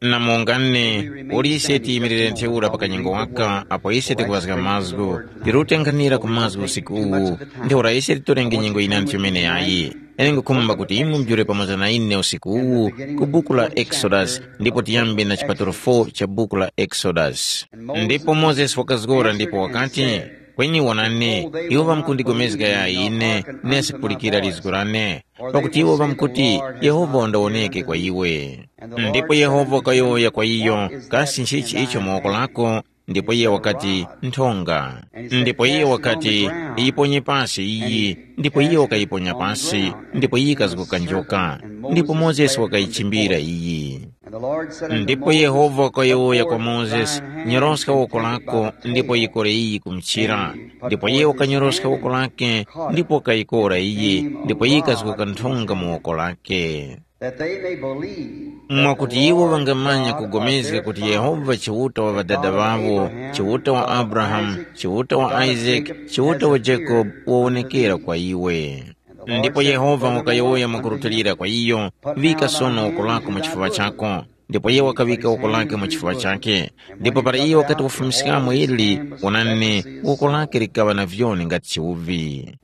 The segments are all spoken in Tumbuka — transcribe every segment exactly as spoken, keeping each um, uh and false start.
Na mungane, uli ise tiyimirire ntheura pa kanyengo waka apo ise tikuŵazga mazgu, tirutenganira ku mazgu usiku uwu, ntheura ise titorenge nyengo yinandi chomene yayi. Ine ngukhumba kuti imwe mujule pamoza na ine usiku uwu ku buku la Exodus, ndipo tiyambe na chipatulo four cha buku la Exodus. Ndipo Mozesi wakazgora ndipo wakati, kweni wonani, iwo ŵamkundigomezga ya ine, nesi kupulikira lizgu lane, pakuti iwo ŵamkuti, Yehova wandawoneke kwa iwe. Ndipo Yehova wakayowoya kwa iyo, kasi nchichi icho mu woko lako? Ndipo iye wakati, nthonga. Ndipo iye wakati, iyiponye pasi iyi. Ndipo iye wakayiponya pasi, ndipo iyi ikazguka njoka. Ndipo Mozesi wakayichimbira iyi. Ndipo Yehova wakayowoya kwa Mozesi, nyoroska woko lako, ndipo yikore iyi kumchira. Ndipo iye wakanyoroska woko lake, ndipo wakayikora iyi, ndipo iyi ikazguka nthonga mu woko lake. That they may believe that mwakuti the iwo Lord vangamanya God kugomezga of their kuti fathers, Yehova Chiuta wa the ŵadada God of ŵavo, Abraham, Chiuta wa God of Abrahamu, Isaac, Chiuta wa God of Isake, Jacob, Chiuta wa Jacob has wawonekera appeared kwa iwe. Ndipo Yehova wakayowoya mwakurutilira kwa iyo, vika sono woko lako mu chifuŵa chako. Ndipo iye wakaŵika woko lake mu chifuŵa chake. Ndipo para iye wakati wafumiskamo ili, wonani, woko lake likaŵa na vyoni ngati chiwuvi.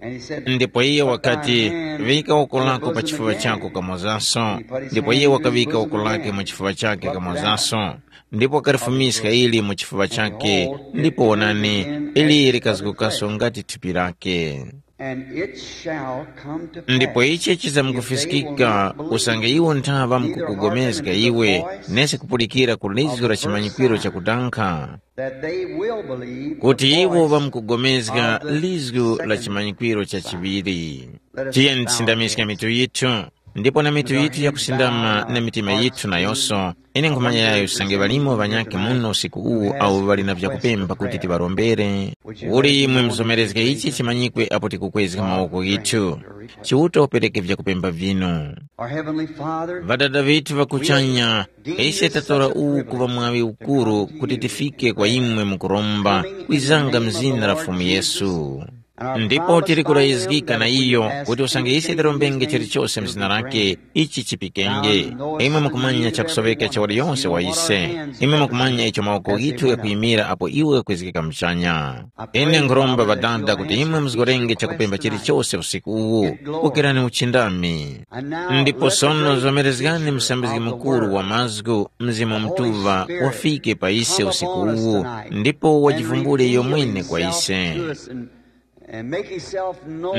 Ndipo iye wakati, vika woko lako pa chifuŵa chako kamozanso. Ndipo iye wakaŵika woko lake mu chifuŵa chake kamozanso. Ndipo wakalifumiska ili mu chifuŵa chake, ndipo wonani, ili likazgukaso ngati thupi lake. And it shall come to pass, ndipo ichi chizamukufiskika, usange iwo nthaŵa mukukugomezga iwe, nesi kupulikira ku lizgu la chimanyikwiro chakutankha, that they will believe kuti iwo ŵamkugomezga lizgu la chimanyikwiro cha chiŵiri. Tiyeni tisindamiske mitu yithu, ndipo na mitu yithu yakusindama na mitima yithu nayonso. Ine nkhumanya yayo usange ŵalimo ŵanyakhe muno usiku uwu awo ŵali na vyakupempha kuti tiŵarombere. Uli imwe muzomerezge ichi chimanyikwe apo tikukwezga mawoko ghithu. Chiuta upereke vyakupempha vinu. Our Heavenly Father, ŵadada ŵithu ŵakuchanya, ise tatora uwu kuŵa mwaŵi ukuru kuti tifike kwa imwe mukuromba, kwizanga mzina la Fumu Yesu. Ndipo tili kurayizgika na iyo kuti usange ise tirombenge chilichose mzina lake, ichi chipikenge. Imwe mukumanya chakusoŵeka cha waliyonse wa ise. Imwe mukumanya icho mawoko ghithu ghakuyimira apo iwo ghakwezgeka muchanya. Ine nkhuromba Ŵadada kuti imwe muzgorenge chakupemba chilichose usiku uwu. Pokerani uchindami. Ndipo sono zomerezgani Musambizgi Mukuru wa mazgu, Mzimu Mutuŵa, wafike pa ise usiku uwu, ndipo wajivumbule iyo mwene kwa ise.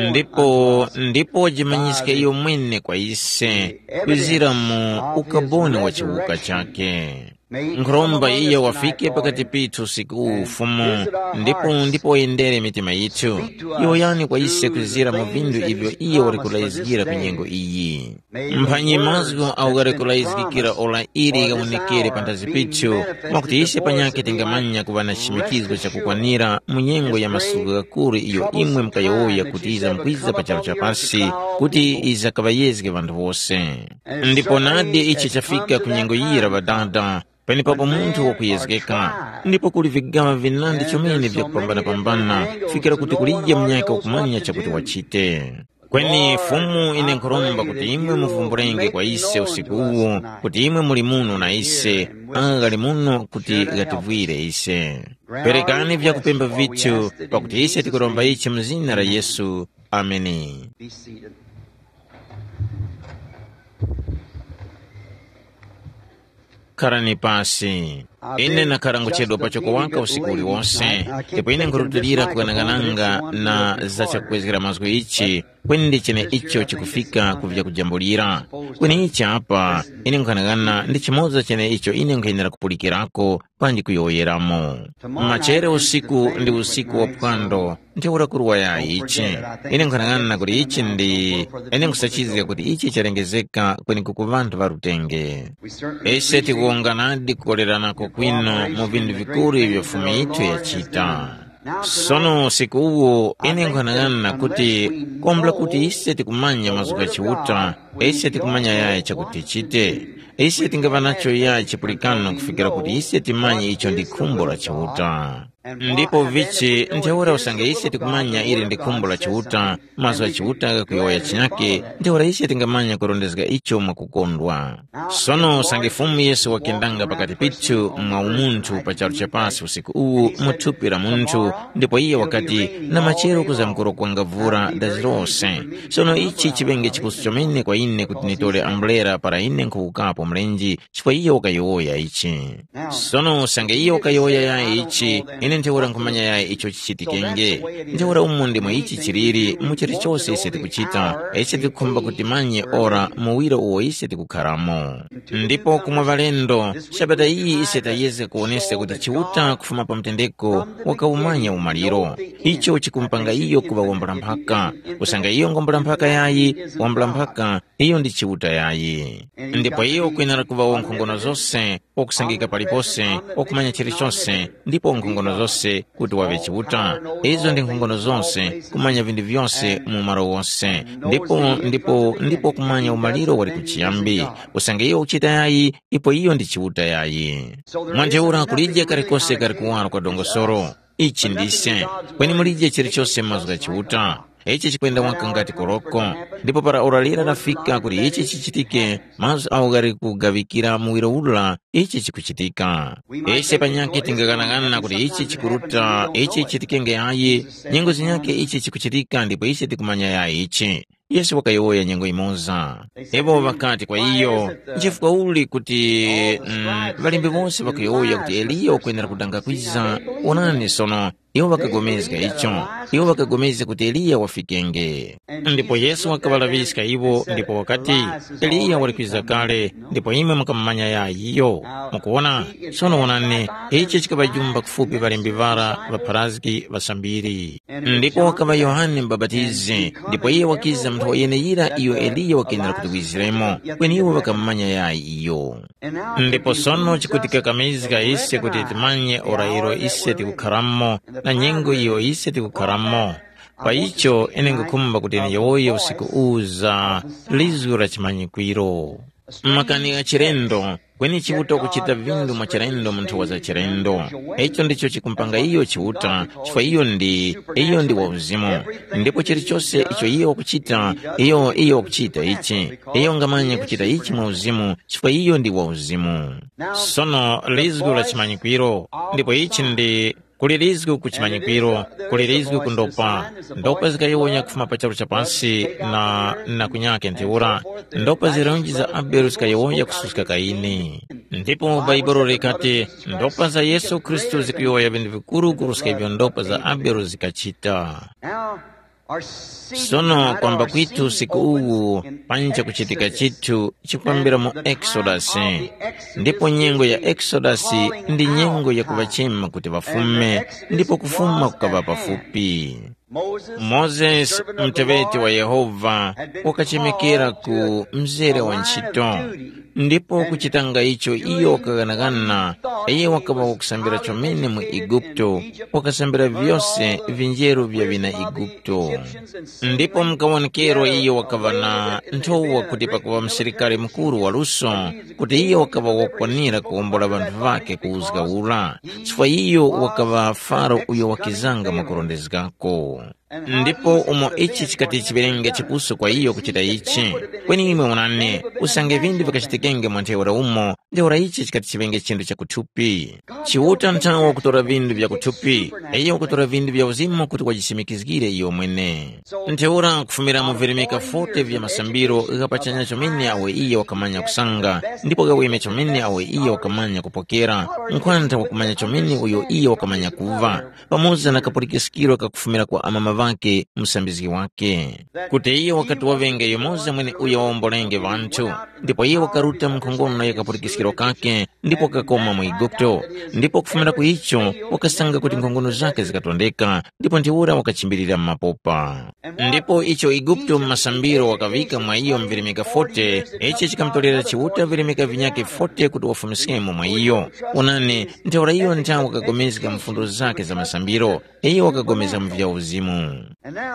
Ndipo ndipo wajimanyiske iyo mwene kwa ise, kwizira mu ukaboni wa chiwuka chake. Nkhuromba iyo wafike pakati pithu usiku uwu Fumu, ndipo ndipo wayendere mitima yithu. Yowoyani kwa ise kwizira mu vindu ivyo iyo wali kulayizgira ku nyengo iyi. Mphanyi mazgu awo ghali kulayizgikira ora ili ghawonekere panthazi pithu, mwakuti ise panyakhe tingamanya kuŵa na chichimikizo chakukwanira mu nyengo ya masuku ghakuru iyo imwe mukayowoya kuti yizamkwiza pa charu cha pasi, kuti yizakaŵayezge ŵanthu wose. Ndipo nadi ichi chafika ku nyengo yira Ŵadada, penepapo munthu wakuyezgeka, ndipo kuli vigaŵa vinandi chomene vyakupambana-pambana, kufikira kuti kulije munyakhe wakumanya chakuti wachite. Kweni Fumu ine nkhuromba kuti imwe muvumbulenge kwa ise usiku uwu, kuti imwe muli muno na ise, agha ghali muno kuti ghativwire ise. Perekani vyakupemba vithu, pakuti ise tikuromba ichi mu zina la Yesu. Ameni. Be seated. Kharani pasi. Ine nakhara nguchedwa pachoko waka usiku uliwonse, ndipo ine nkhurutilira kughanaghananga na za chakukwezgera mazgu ichi, kweni ndi cheneicho chikufika ku vyakujambulira. Kweni ichi apa, ine nkughanagana ndi chimoza cheneicho ine nkhuyenera kupulikirako panji kuyowoyeramo. Machere usiku ndi usiku wa phwando, ntheura kuruwa yayi ichi. Ine nkhanang'ana kuti ichi ndi, ine nkhusachizga kuti ichi chalengezeka kwenekuko ŵanthu ŵa lutenge. Ise tikuwonganadi kukoleranako kwinu mu vinthu vikuru ivyo Fumu yithu yachita. Sono usiku uwu ine nkhanang'ana kuti, kombula kuti ise tikumanya mazgu gha Chiuta, ise tikumanya yayi chakuti tichite. Ise tingaŵa nacho yayi chipulikano kufikira kuti ise timanye icho ndi khumbo la Chiuta. Ndipo vichi ntheura usange ise tikumanya ili ndi khumbo la Chiuta, mazgu gha Chiuta ghakuyowoya chinyake, ntheura ise tingamanya kurondezga icho mwakukondwa. Sono usange Fumu Yesu wakendanga pakati pithu mwa umunthu pa charu cha pasi usiku uwu mu thupi la munthu, ndipo iye wakati, na machero kuzamkuro kwanga vura dazi lose. Sono ichi chiŵenge chikuso chomene kwa ine kuti nitore ambulera para ine nkhuwukapo mlenje, chifukwa iyo wakayowoya ichi. Sono usange iyo wakayowoya yayi ichi, ine ntheura nkhumanya yayi icho chichitikenge. Ntheura umo ndimo ichi chiliri mu chilichose ise tikuchita, ise tikukhumba kuti manye ora muwiro uwo ise tikukharamo. Ndipo kumwe ŵalendo, sabata iyi ise tayezga kuwoneska kuti Chiuta kufuma pa mtendeko wakawumanya umaliro. Icho chikumpanga iyo kuŵa wambula mphaka. Usange iyo ngwambula mphaka yayi, wambula mphaka, iyo ndi Chiuta yayi. Ndipo iyo kwenera kuŵa wankhongono zose, wakusangika palipose, wakumanya chilichose, ndipo wankhongono zose kuti waŵe Chiuta. Izo ndi nkhongono zose, kumanya vinthu vyose mu malo wose. Ndipo ndipo ndipo kumanya umaliro wali kuchiyambi. Usange iyo ukuchita yayi, ipo iyo ndi Chiuta yayi. Mwa ntheura kulije kalikose kali kuwaro kwa dongosolo. Ichi ndise, kweni mulije chilichose mazgu gha Chiuta. Ichi chikwenda waka ngati koroko. Ndipo para ora lira lafika kuti ichi chichitike, mazgu agho ghali kugaŵikira muwiro ura ichi chikuchitika. Ise panyakhe tingaghanaghanana kuti ichi chikuruta, ichi chichitikenge yayi, nyengo zinyakhe ichi chikuchitika ndipo ise tikumanya yayi ichi. Yesu wakayowoya nyengo imoza. Iwo ŵakati kwa iyo, nchifukwa uli kuti mm, ŵalembi wose ŵakuyowoya kuti Eliya wakwenera kudanga kwiza? Onani sono, iwo ŵakagomezga icho. Iwo ŵakagomezga kuti Eliya wafikenge. Ndipo Yesu wakaŵalaŵiska iwo ndipo wakati, Eliya wali kwiza kale, ndipo imwe mukamumanya yayi iyo. Mukuwona? Sono wonani, ichi chikaŵajumba kufupi ŵalembi ŵara ŵapharazgi ŵasambiri. Ndipo wakaŵa Yohane Mubapatizi, ndipo iye wakiza nthowa yeneyira iyo Eliya wakenera kuti wiziremo, kweni iwo ŵakamumanya yayi iyo. Ndipo sono chikutikakamizga ise kuti timanye ora ilo ise tikukharamo na nyengo iyo ise tikukharamo. Pa icho ine ngukhumba kuti ndiyowoye usiku uwu za lizgu la chimanyikwiro. Makani gha chilendo, kweni Chiuta ukuchita vinthu mwa chilendo mu nthowa za chilendo. Icho ndicho chikumpanga iyo Chiuta, chifukwa iyo ndi, iyo ndi wa uzimu. Ndipo chilichose icho iyo wakuchita, iyo iyo wakuchita ichi. Iyo ngamanya kuchita ichi mwa uzimu, chifukwa iyo ndi wa uzimu. Sono lizgu la chimanyikwiro, ndipo ichi ndi kuli lizgu ku chimanyikwiro, kuli lizgu ku ndopa. Ndopa zikayowonya kufuma pa charu cha pasi na, na kunyake ntheura. Ndopa zirunji za Abele zikayowoya kususka Kaini. Ndipo Bhaibuli likati, ndopa za Yesu Khristu zikuyowoya vinthu vikuru kuruska ivyo ndopa za Abele zikachita. Sono kwamba kwitu usiku uwu panja kuchitika chithu chikwambira mu Exodus. Ndipo nyengo ya Exodus ndi nyengo ya kuŵachema kuti ŵafume, ndipo kufuma kukaŵa pafupi. Mozesi, muteŵeti wa Yehova, wakachemekera ku mzere wa ntchito, ndipo kuchitanga icho iyo wakaghanagana, iyo wakaŵa wakusambira chomene mu Eguputo, wakasambira vyose vinjeru vya vina Eguputo. Ndipo mukawonekerwa iyo wakaŵa na nthowa kuti pakuŵa musilikari mukuru waluso, kuti iyo wakaŵa wakwanira kuwombola ŵanthu ŵakhe ku uzga ura, chifukwa iyo wakaŵa Faro uyo wakizanga mwakurondezgako. Ndipo umo ichi chikati chiŵerenge chipuso kwa iyo kuchita ichi. Kweni imwe wonani, usange vinthu vikachitikenge mwa ntheura umo, ntheura ichi chikati chiŵenge chinthu cha kuthupi. Chiuta nthawe wakutora vinthu vya kuthupi, iyo wakutora vinthu vya uzimu kuti wajisimikizgire iyo mwene. Ntheura kufumira mu virimika forty vya masambiro gha pachanya chomene awe iye wakamanya kusanga, ndipo gaweme chomene awe iye wakamanya kupokera, nkhwantha wakumanya chomene uyo iye wakamanya kuva, pamoza na kapulikiskiro kakufumira kwa amama ŵakhe musambizgi wakhe. Kuti iye wakati waŵenge yumoza mweneuyo wawombolenge ŵanthu, ndipo iye wakaruta mu nkhongono ya kapulikiskiro kakhe, ndipo wakakoma mu Eguputo, ndipo kufumira ku icho wakasanga kuti nkhongono zakhe zikatondeka, ndipo ntheura wakachimbirira mu mapopa. Ndipo icho Eguputo mu masambiro wakaŵika mwa iyo mvirimika forty, ichi chikamutorera Chiuta virimika vinyakhe forty kuti wafumiskemo mwa iyo. Onani, ntheura iyo nthawe wakagomezga mfundo zakhe za masambiro, iyo wakagomeza mu vya uzimu.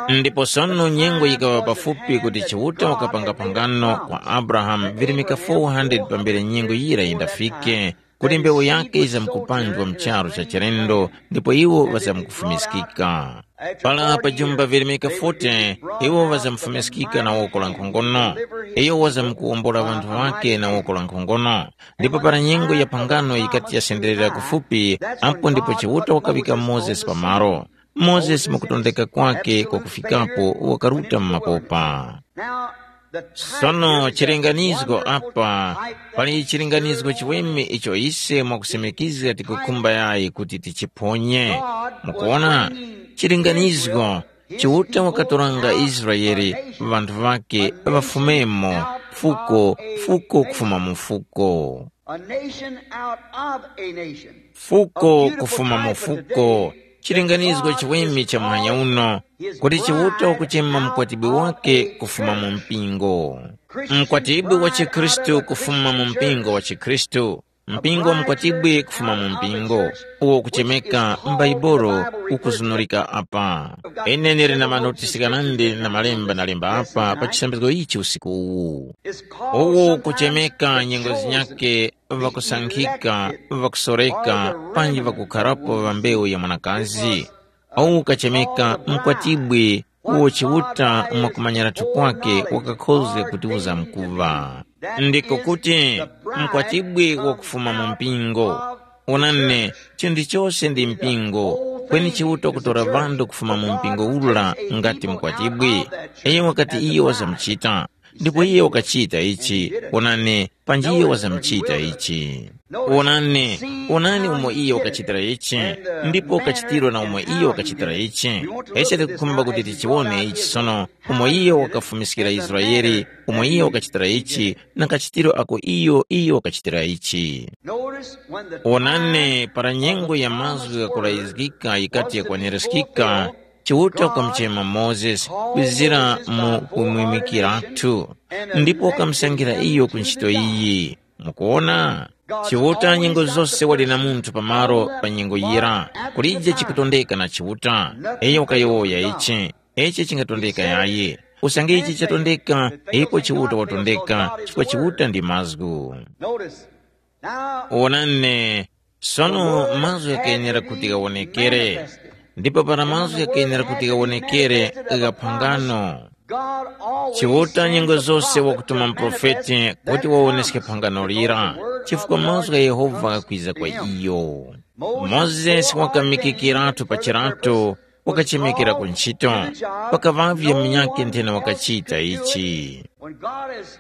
Ndipo sono nyengo yikaŵa pafupi kuti Chiuta wakapanga phangano kwa Abrahamu virimika four hundred pambere nyengo yira yindafike, kuti mbewu yake yizamkupanjwa mu charu cha chilendo, ndipo iwo ŵazamkufumiskika. Para pajumba virimika forty, iwo ŵazamfumiskika na woko la nkhongono. Iyo wazamkuwombora ŵanthu ŵake na woko la nkhongono. Ndipo para nyengo ya phangano yikati yasenderera kufupi, apo ndipo Chiuta wakaŵika Mozesi pamaro. Mozesi mukutondeka kwake kwakufikapo wakaruta mu mapopa. Sono chilinganizgo apa, pali chilinganizgo chiweme icho ise mwakusemekizga tikukhumba yayi kuti tichiphonye. Mukuona, chilinganizgo, Chiuta wakatoranga Israele, ŵanthu ŵake, ŵafumemo, fuko, fuko kufuma mu fuko. A nation out of a nation. Fuko kufuma mu fuko. Chilinganizgo chiweme cha muhanya uno, kuti Chiuta wakuchema mkwatibwi wake kufuma mu mpingo. Mkwatibwi wa chikhristu kufuma mu mpingo wa chikhristu. Mpingo wa mkwatibwi kufuma mu mpingo, uwo kuchemeka m'Baibolo, ukuzunurika apa. Ine ndili na manotisi ghanandi na malemba ndalemba apa pa chisambizgo ichi usiku uwu. Uwu kuchemeka nyengo zinyakhe ŵakusankhika, ŵakusoreka, panji ŵakukharapo ŵa mbewu ya mwanakazi. Uwu kachemeka mkwatibwi uwo Chiuta mwakumanyiratu kwake wakakhozga kutiuza mkuŵa. Ndiko kuti, mkwatibwi wakufuma mu mpingo. Onani, chinthu chose ndi mpingo, kweni Chiuta wakutora ŵanthu kufuma mu mpingo ura ngati mkwatibwi. Iyo wakati iyo wazamuchita, ndipo iye wakachita ichi. Onani, panji iyo wazamuchita ichi. Wonani, wonani umo iyo wakachitira ichi, ndipo kachitiro na umo iyo wakachitira ichi. Ise tikukhumba kuti tichiwone ichi sono, umo iyo wakafumiskira Israele, umo iyo wakachitira ichi, na kachitiro ako iyo iyo wakachitira ichi. Notice when the Wonani, para nyengo ya mazgu ghakulayizgika yikati yakwanirizgika, Chiuta wakamuchema Mozesi kwizira mu kumwimikiratu, ndipo wakamusangira iyo ku ntchito iyi. Mukuwona? Chiuta nyengo zose wali na munthu pamalo pa nyengo yira, kulije chikutondeka na Chiuta. Iyo wakayowoya ichi, ichi chingatondeka yayi. Usange ichi chatondeka, ipo Chiuta watondeka, chifukwa Chiuta ndi mazgu. Notice. Now, Wonani, sono mazgu ghakayenera kuti ghawonekere, ndipo para mazgu ghakayenera kuti ghawonekere gha phangano. God always Chiuta nyengo zose wakutuma muprofeti kuti wawoneske phangano lira, chifukwa mazgu gha Yehova ghakwiza kwa iyo. Mozesi wakamikikiratu pa chirato, wakachemekera ku ntchito, pakaŵavye munyakhe nthena wakachita ichi.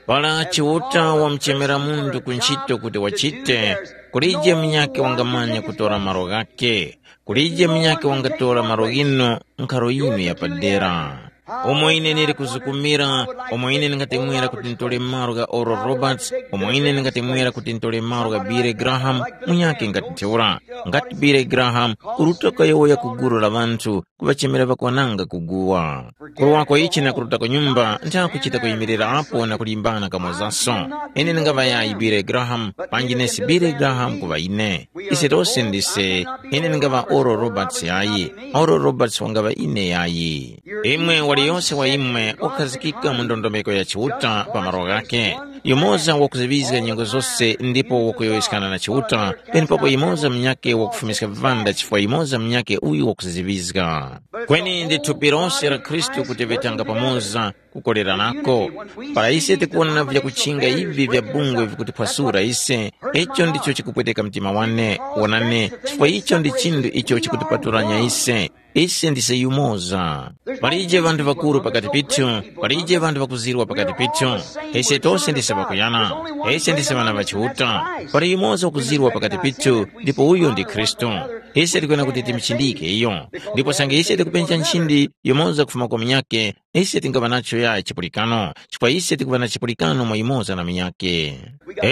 Para Chiuta wamuchemera munthu ku ntchito kuti wachite, kulije munyakhe wangamanya kutora malo ghakhe, kulije munyakhe wangatora malo ghinu nkharo yinu yapadera. Umo ine ndili kuzukumira, umo ine ndingatemwera kuti ntore malo gha Oral Roberts, umo ine ndingatemwera kuti ntore malo gha Billy Graham, munyakhe ngati ntheura. Ngati Billy Graham, uruta kayowoya ku gulu la ŵanthu, kuŵachemera ŵakwananga kuguwa. Kulowa kwa ichi na kuruta ku nyumba, ntha kuchita kuyimirira apo na kulimbana kamozaso. Ine ndingaŵa yayi Billy Graham, panji nesi Billy Graham kuŵa ine. Ise tose ndise, ine ndingaŵa Oral Roberts yayi, Oral Roberts wangaŵa ine yayi. Imwe waliyose wa imwe wakhazikika mu ndondomeko ya Chiuta pa malo ghakhe. Yumoza wakuziŵizga nyengo zose ndipo wakuyowoyeskana na Chiuta, penepapo yumoza munyakhe wakufumiska vivanda chifukwa yumoza munyakhe uyu wakuziŵizga. Kweni ndi thupi lose la Khristu kuti vetanga pamoza kukoleranako. Para ise tikuwona vyakuchinga ivi vya bungwe vikutiphwasura ise, icho ndicho chikupweteka mtima wane. Wonani, chifukwa icho ndi chinthu icho chikutipatulanya ise. Ise ndise yumoza. Palije ŵanthu ŵakuru pakati pithu, palije ŵanthu ŵakuzirwa pakati pithu. Ise tose ndise ŵakuyana. Ise ndise ŵana ŵa Chiuta. Pali yumoza wakuzirwa pakati pithu, ndipo uyo ndi Khristu. Ise tikwena kuti timuchindike iyo. Ndipo sange ise tikupenja nchindi yumoza kufuma kwa munyakhe, ise tingaŵa nacho yayi chipulikano, chifukwa ise tikuŵa na chipulikano mwa yumoza na munyakhe.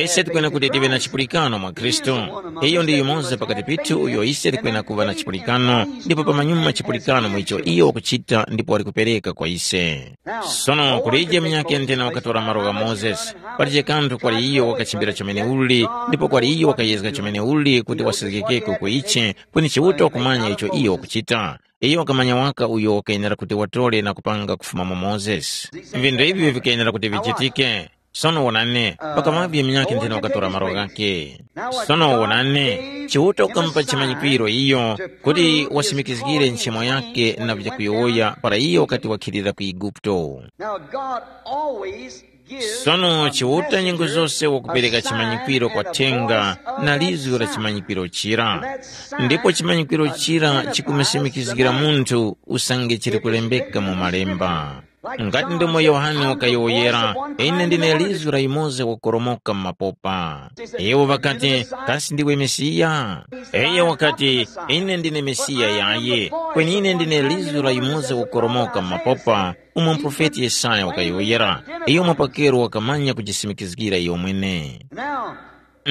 Ise tikwena kuti tive na chipulikano mwa Khristu. Iyo ndi yumoza pakati pithu uyo ise tikwena kuŵa na chipulikano, ndipo pamanyuma chipulikano mu icho iyo wakuchita ndipo wali kupereka kwa ise. Sono kulije munyakhe nthena wakatora malo gha Mozesi. Palije kanthu kwali iyo wakachimbira chomene uli, ndipo kwali iyo wakayezga chomene uli kuti wasezgekeko ku ichi, kweni Chiuta wakumanya icho iyo wakuchita. Iyo wakamanya waka uyo wakayenera kuti watore na kupanga kufuma mwa Mozesi. Vinthu ivi vikayenera kuti vichitike. Sono wonani, pakaŵavye munyakhe nthena wakatora malo ghakhe. Sono wonani, Chiuta wakamupa chimanyikwiro iyo kuti wasimikizgire nchimo yakhe na vyakuyowoya para iyo wakati wakhilira ku Eguputo. Now God always gives Sono a Chiuta nyengo messenger zose wakupereka a sign chimanyikwiro kwa and a thenga voice of na a lizwi la sign. Chimanyikwiro chira. Ndipo chimanyikwiro chira chikumasimikizgira munthu usange chili kulembeka mu malemba. Ngati ndomo Yohane wakayowoyera, ine ndine lizwi la yumoza wakoromoka mu mapopa. Iwo ŵakati, kasi ndiwe Mesiya? Iye wakati, ine ndine Mesiya yaye, kweni ine ndine lizwi la yumoza wakoromoka mu mapopa, umo muprofeti Yesaya wakayowoyera. Iyo mwapakero wakamanya kujisimikizgira iyo mwene.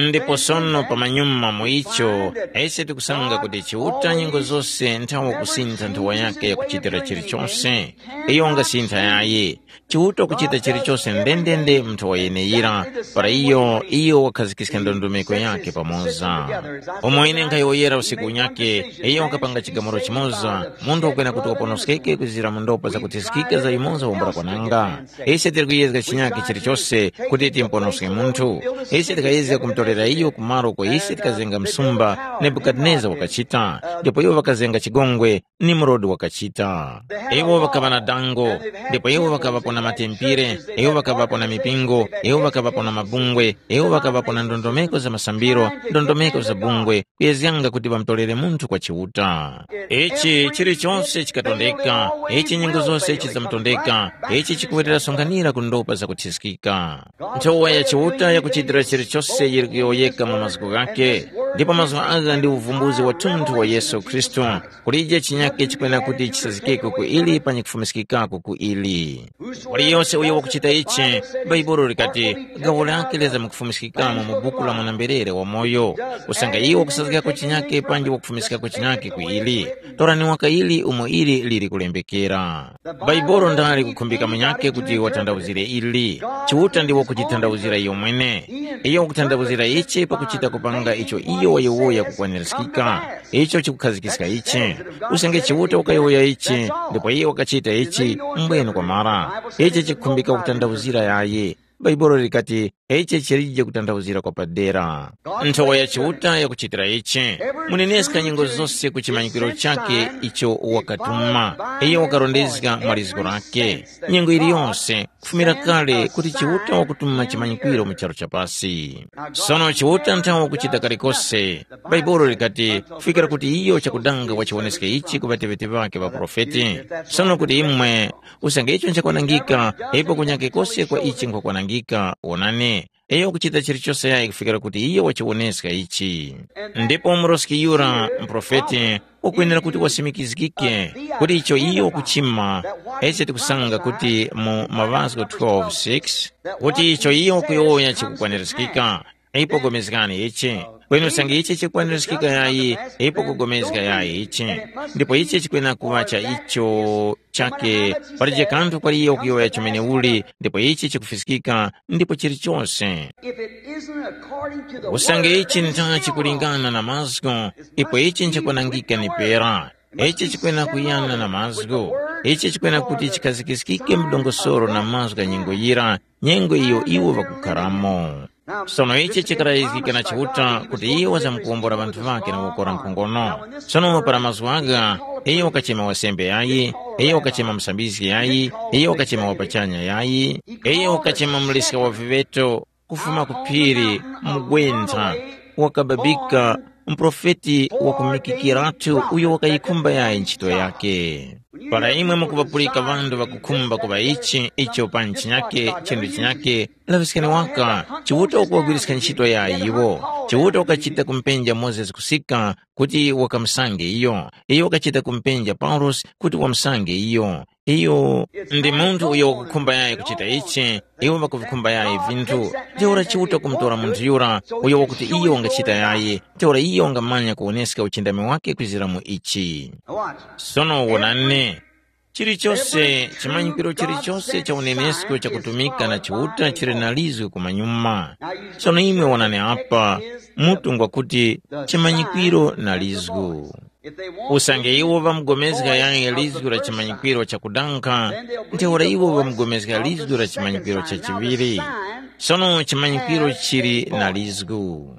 Ndipo sono pamanyuma mu icho, ise tikusanga kuti Chiuta nyengo zose nthawe kusintha nthowa yake yakuchitira chilichonse. Iyo ungasintha yayi. Chiuta kuchita chilichonse ndendende mu nthowa yeneyira, para iyo iyo wakhazikiska ndondomeko yake pamoza. Umo ine nkhayowoyera usiku unyake, iyo wakapanga chigamulo chimoza, munthu wakwena kuti waponoskeke kuzira mu ndopa zakuthiskika za yumoza wambula kwananga. Ise tili kuyezga chinyakhe chilichose kuti timponoske munthu. Ise tikayezga kumutorera iyo ku malo uko ise tikazenga msumba Nebukadineza wakachita, ndipo iwo ŵakazenga chigongwe Nimrodi wakachita. Iwo ŵakaŵa na dango, ndipo iwo ŵakaŵapo na matempire, iwo ŵakaŵapo na mipingo, iwo ŵakaŵapo na mabungwe, iwo ŵakaŵapo na ndondomeko za masambiro, ndondomeko za bungwe, kuyezganga kuti ŵamutorere munthu kwa Chiuta. Ichi chilichonse chikatondeka, ichi nyengo zose chizamutondeka, ichi chikuwerera sonkhanira ku ndopa zakuthiskika. Nthowa ya Chiuta yakuchitira chilichose yili kuyowoyeka mu mazgu ghake, ndipo mazgu agha ndi uvumbuzi wathunthu wa Yesu Khristu. Kulije chinyake chikwena kuti chisazikeko ku ili panyi kufumiskikako ku ili. Waliyose uyo wakuchita ichi, Bhaibuli likati, gawo lake liza mukufumiskikamo mu buku la mwana-mberere wamoyo. Usange iwo kusazgako chinyake panji wakufumiskako chinyake ku ili, torani waka ili umo ili lili kulembekera. Bhaibuli ndali kukhumbika munyake kuti watandawuzire ili. Chiuta ndiwo kutitandawuzira iyo mwene. Iyo wakutandawuzira ichi pakuchita kupanga icho iyo wayowoya kukwanirizgika. Icho chikukhazikiska ichi. Usange Chiuta wakayowoya ichi, ndipo iye wakachita ichi, mbwene kwamara. Ichi chikukhumbika kutandawuzira yayi. Bhaibuli likati, ichi chilije kutandawuzira kwa padera. Nthowa ya Chiuta yakuchitira ichi. Muneneska nyengo zose ku chimanyikiro chake icho wakatuma. Iyo wakarondezga mwa lizgo lake. Nyengo iliyonse, kufumira kale kuti Chiuta wakutuma chimanyikwiro mu charu cha pasi. Sono Chiuta nthawe wakuchita kalikose. Bhaibuli likati, kufikira kuti iyo chakudanga wachiwoneske ichi ku ŵateŵeti ŵakhe ŵaprofeti. Sono kuti imwe, usange icho nchakwanangika, ipo kunyake kose kwa ichi nkhwakwanangika, wonani. Iyo wakuchita chilichose yayi kufikira kuti iyo wachiwoneska ichi. Ndipo muroski yura, muprofeti, ukwenera kuti wasimikizgike kuti icho iyo wakuchima, ese tikusanga kuti mu Maŵazgo twelve six, kuti icho iyo wakuyowoya chikukwanirizgika. Ipo pulikani ichi, kweni usange ichi chikwanirizgika yayi, ipo kugomezga yayi ichi. Ndipo ichi chikwena kuŵa cha icho chake, palije kanthu kwali iyo kuyowoya chomene uli, ndipo ichi chikufiskika, ndipo chilichose. If it isn't according to the Usange word, ichi then it's nthana still wrong. Chikulingana na mazgu, ipo ichi nchikwanangika ni pera. Ichi chikwena kuyana na mazgu. Ichi chikwena kuti chikhazikiskike mdongosoro na mazgu gha nyengo yira, nyengo iyo iwo ŵakukharamo. Sono ichi chikarayizgika na Chiuta kuti iwo wazamkuwombora ŵanthu ŵakhe na kukora nkhongono. Sono para mazgu agha, iye wakachema wasembe yayi, iye wakachema musambizgi yayi, iye wakachema wapachanya yayi, iye wakachema muliska wa viŵeto kufuma ku phiri, mugwentha, wakababika, muprofeti wakumikikiratu uyo wakayikhumba yayi ntchito yake. Para imwe mukuŵapulika ŵanthu ŵakukhumba kuŵa ichi, icho pa nchinyake, chinthu chinyake, laŵiskani waka, Chiuta wakuwagwiriska ntchito ya iwo. Chiuta wakachita kumpenja Mozesi kusika kuti wakamusange iyo. Iyo wakachita kumpenja Paulosi kuti wamusange iyo. Iyo ndi munthu uyo wakukhumba yayi kuchita ichi, iwo ŵakuvikhumba yayi vinthu. Ntheura Chiuta kumutora munthu yura uyo wakuti iyo wangachita yayi, ntheura iyo wangamanya kuwoneska uchindami wake kwizira mu ichi. Sono wonani, chilichose, chimanyikiro chilichose cha unenesko chakutumika na Chiuta chili na lizwi kumanyuma. Sono imwe wonani apa, mutu ngwakuti chimanyikiro na lizgu. Usange iwo ŵamugomezga yaye lizgu la chimanyikwiro chakudankha, ntheura iwo ŵamugomezga lizgu la chimanyikwiro cha chiŵiri. Sono chimanyikwiro chili na lizgu.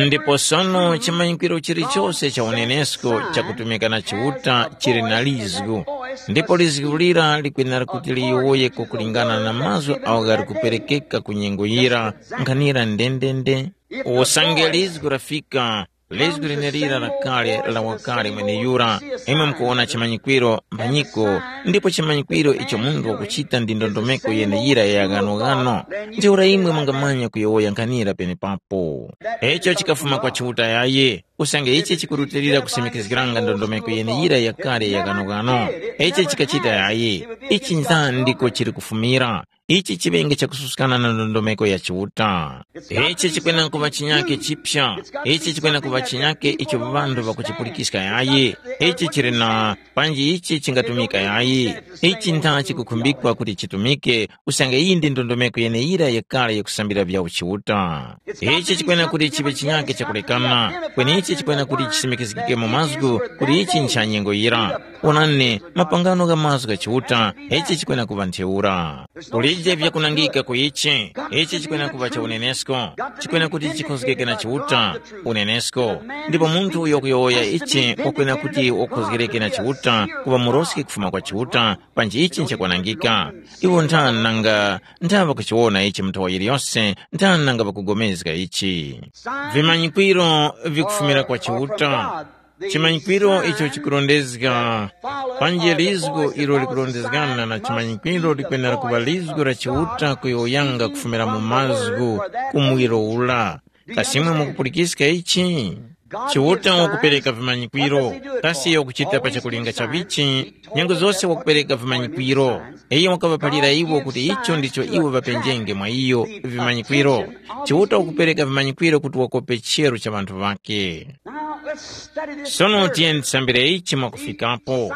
Ndipo sono chimanyikwiro chilichose cha unenesko chakutumika na Chiuta chili na lizgu. Ndipo lizgu lira likwenera kuti liyowoye kwakulingana na mazgu agho ghali kuperekeka ku nyengo yira, nkhanira ndendende. Usange lizgu lafika, lizgu lenelira la kale la wakale mweneyura, imwe mukuwona chimanyikwiro mphanyiko, ndipo chimanyikwiro icho munthu wakuchita ndi ndondomeko yeneyira ya ghanoghano. Ntheura imwe mungamanya kuyowoya nkhanira penepapo. Icho chikafuma kwa Chiuta yaye, usange ichi chikurutilira kusimikizgiranga ndondomeko yeneyira yakale ya ghanoghano. Ichi chikachita yaye, ichi ntha ndiko chili kufumira. Ichi chiŵenge chakususkana na ndondomeko ya Chiuta. Ichi chikwena kuŵa chinyake chipya. Ichi chikwena kuŵa chinyake icho ŵanthu ŵakuchipulikiska yayi. Ichi chili na panji ichi chingatumika yayi. Ichi ntha chikukhumbikwa kuti chitumike, usange iyi ndi ndondomeko yeneyira yakale yakusambira vya uchiuta. Ichi chikwena kuti chiŵe chinyake chakulekana, kweni ichi chikwena kuti chisimikizgike mu mazgu kuti ichi ncha nyengo yira. Onani, mapangano gha mazgu gha Chiuta, ichi chikwena kuŵa ntheura. Kulije vyakunangika ku ichi, ichi chikwena kuŵa cha unenesko, chikwena kuti chikhozgeke na Chiuta, unenesko. Ndipo munthu uyo wakuyowoya ichi wakwena kuti wakhozgereke na Chiuta, kuŵa muroski kufuma kwa Chiuta, panji ichi nchakwanangika. Iwo nthani nanga nthaŵa kuchiwona ichi mu nthawa yiliyose, nthani nanga ŵakugomezga ichi. Vimanyikwiro vikufumira kwa Chiuta. Chimanyikwiro icho chikurondezga panji lizgo ilo likurondezgana na chimanyikwiro likwenera kuŵa lizgo la Chiuta kuyowoyanga kufumira mu mazgu ku muwiro ula. Kasi imwe mukupulikiska ichi? Chiuta wakupereka vimanyikwiro, kasi iyo wakuchita pa chakulinga cha vichi? Nyengo zose wakupereka vimanyikwiro. Iyo wakaŵaphalira iwo kuti icho ndicho iwo ŵapenjenge mwa iyo vimanyikwiro. Chiuta wakupereka vimanyikwiro kuti wakope chero cha ŵanthu ŵake. Sono tiyeni tisambire ichi mwakufikapo.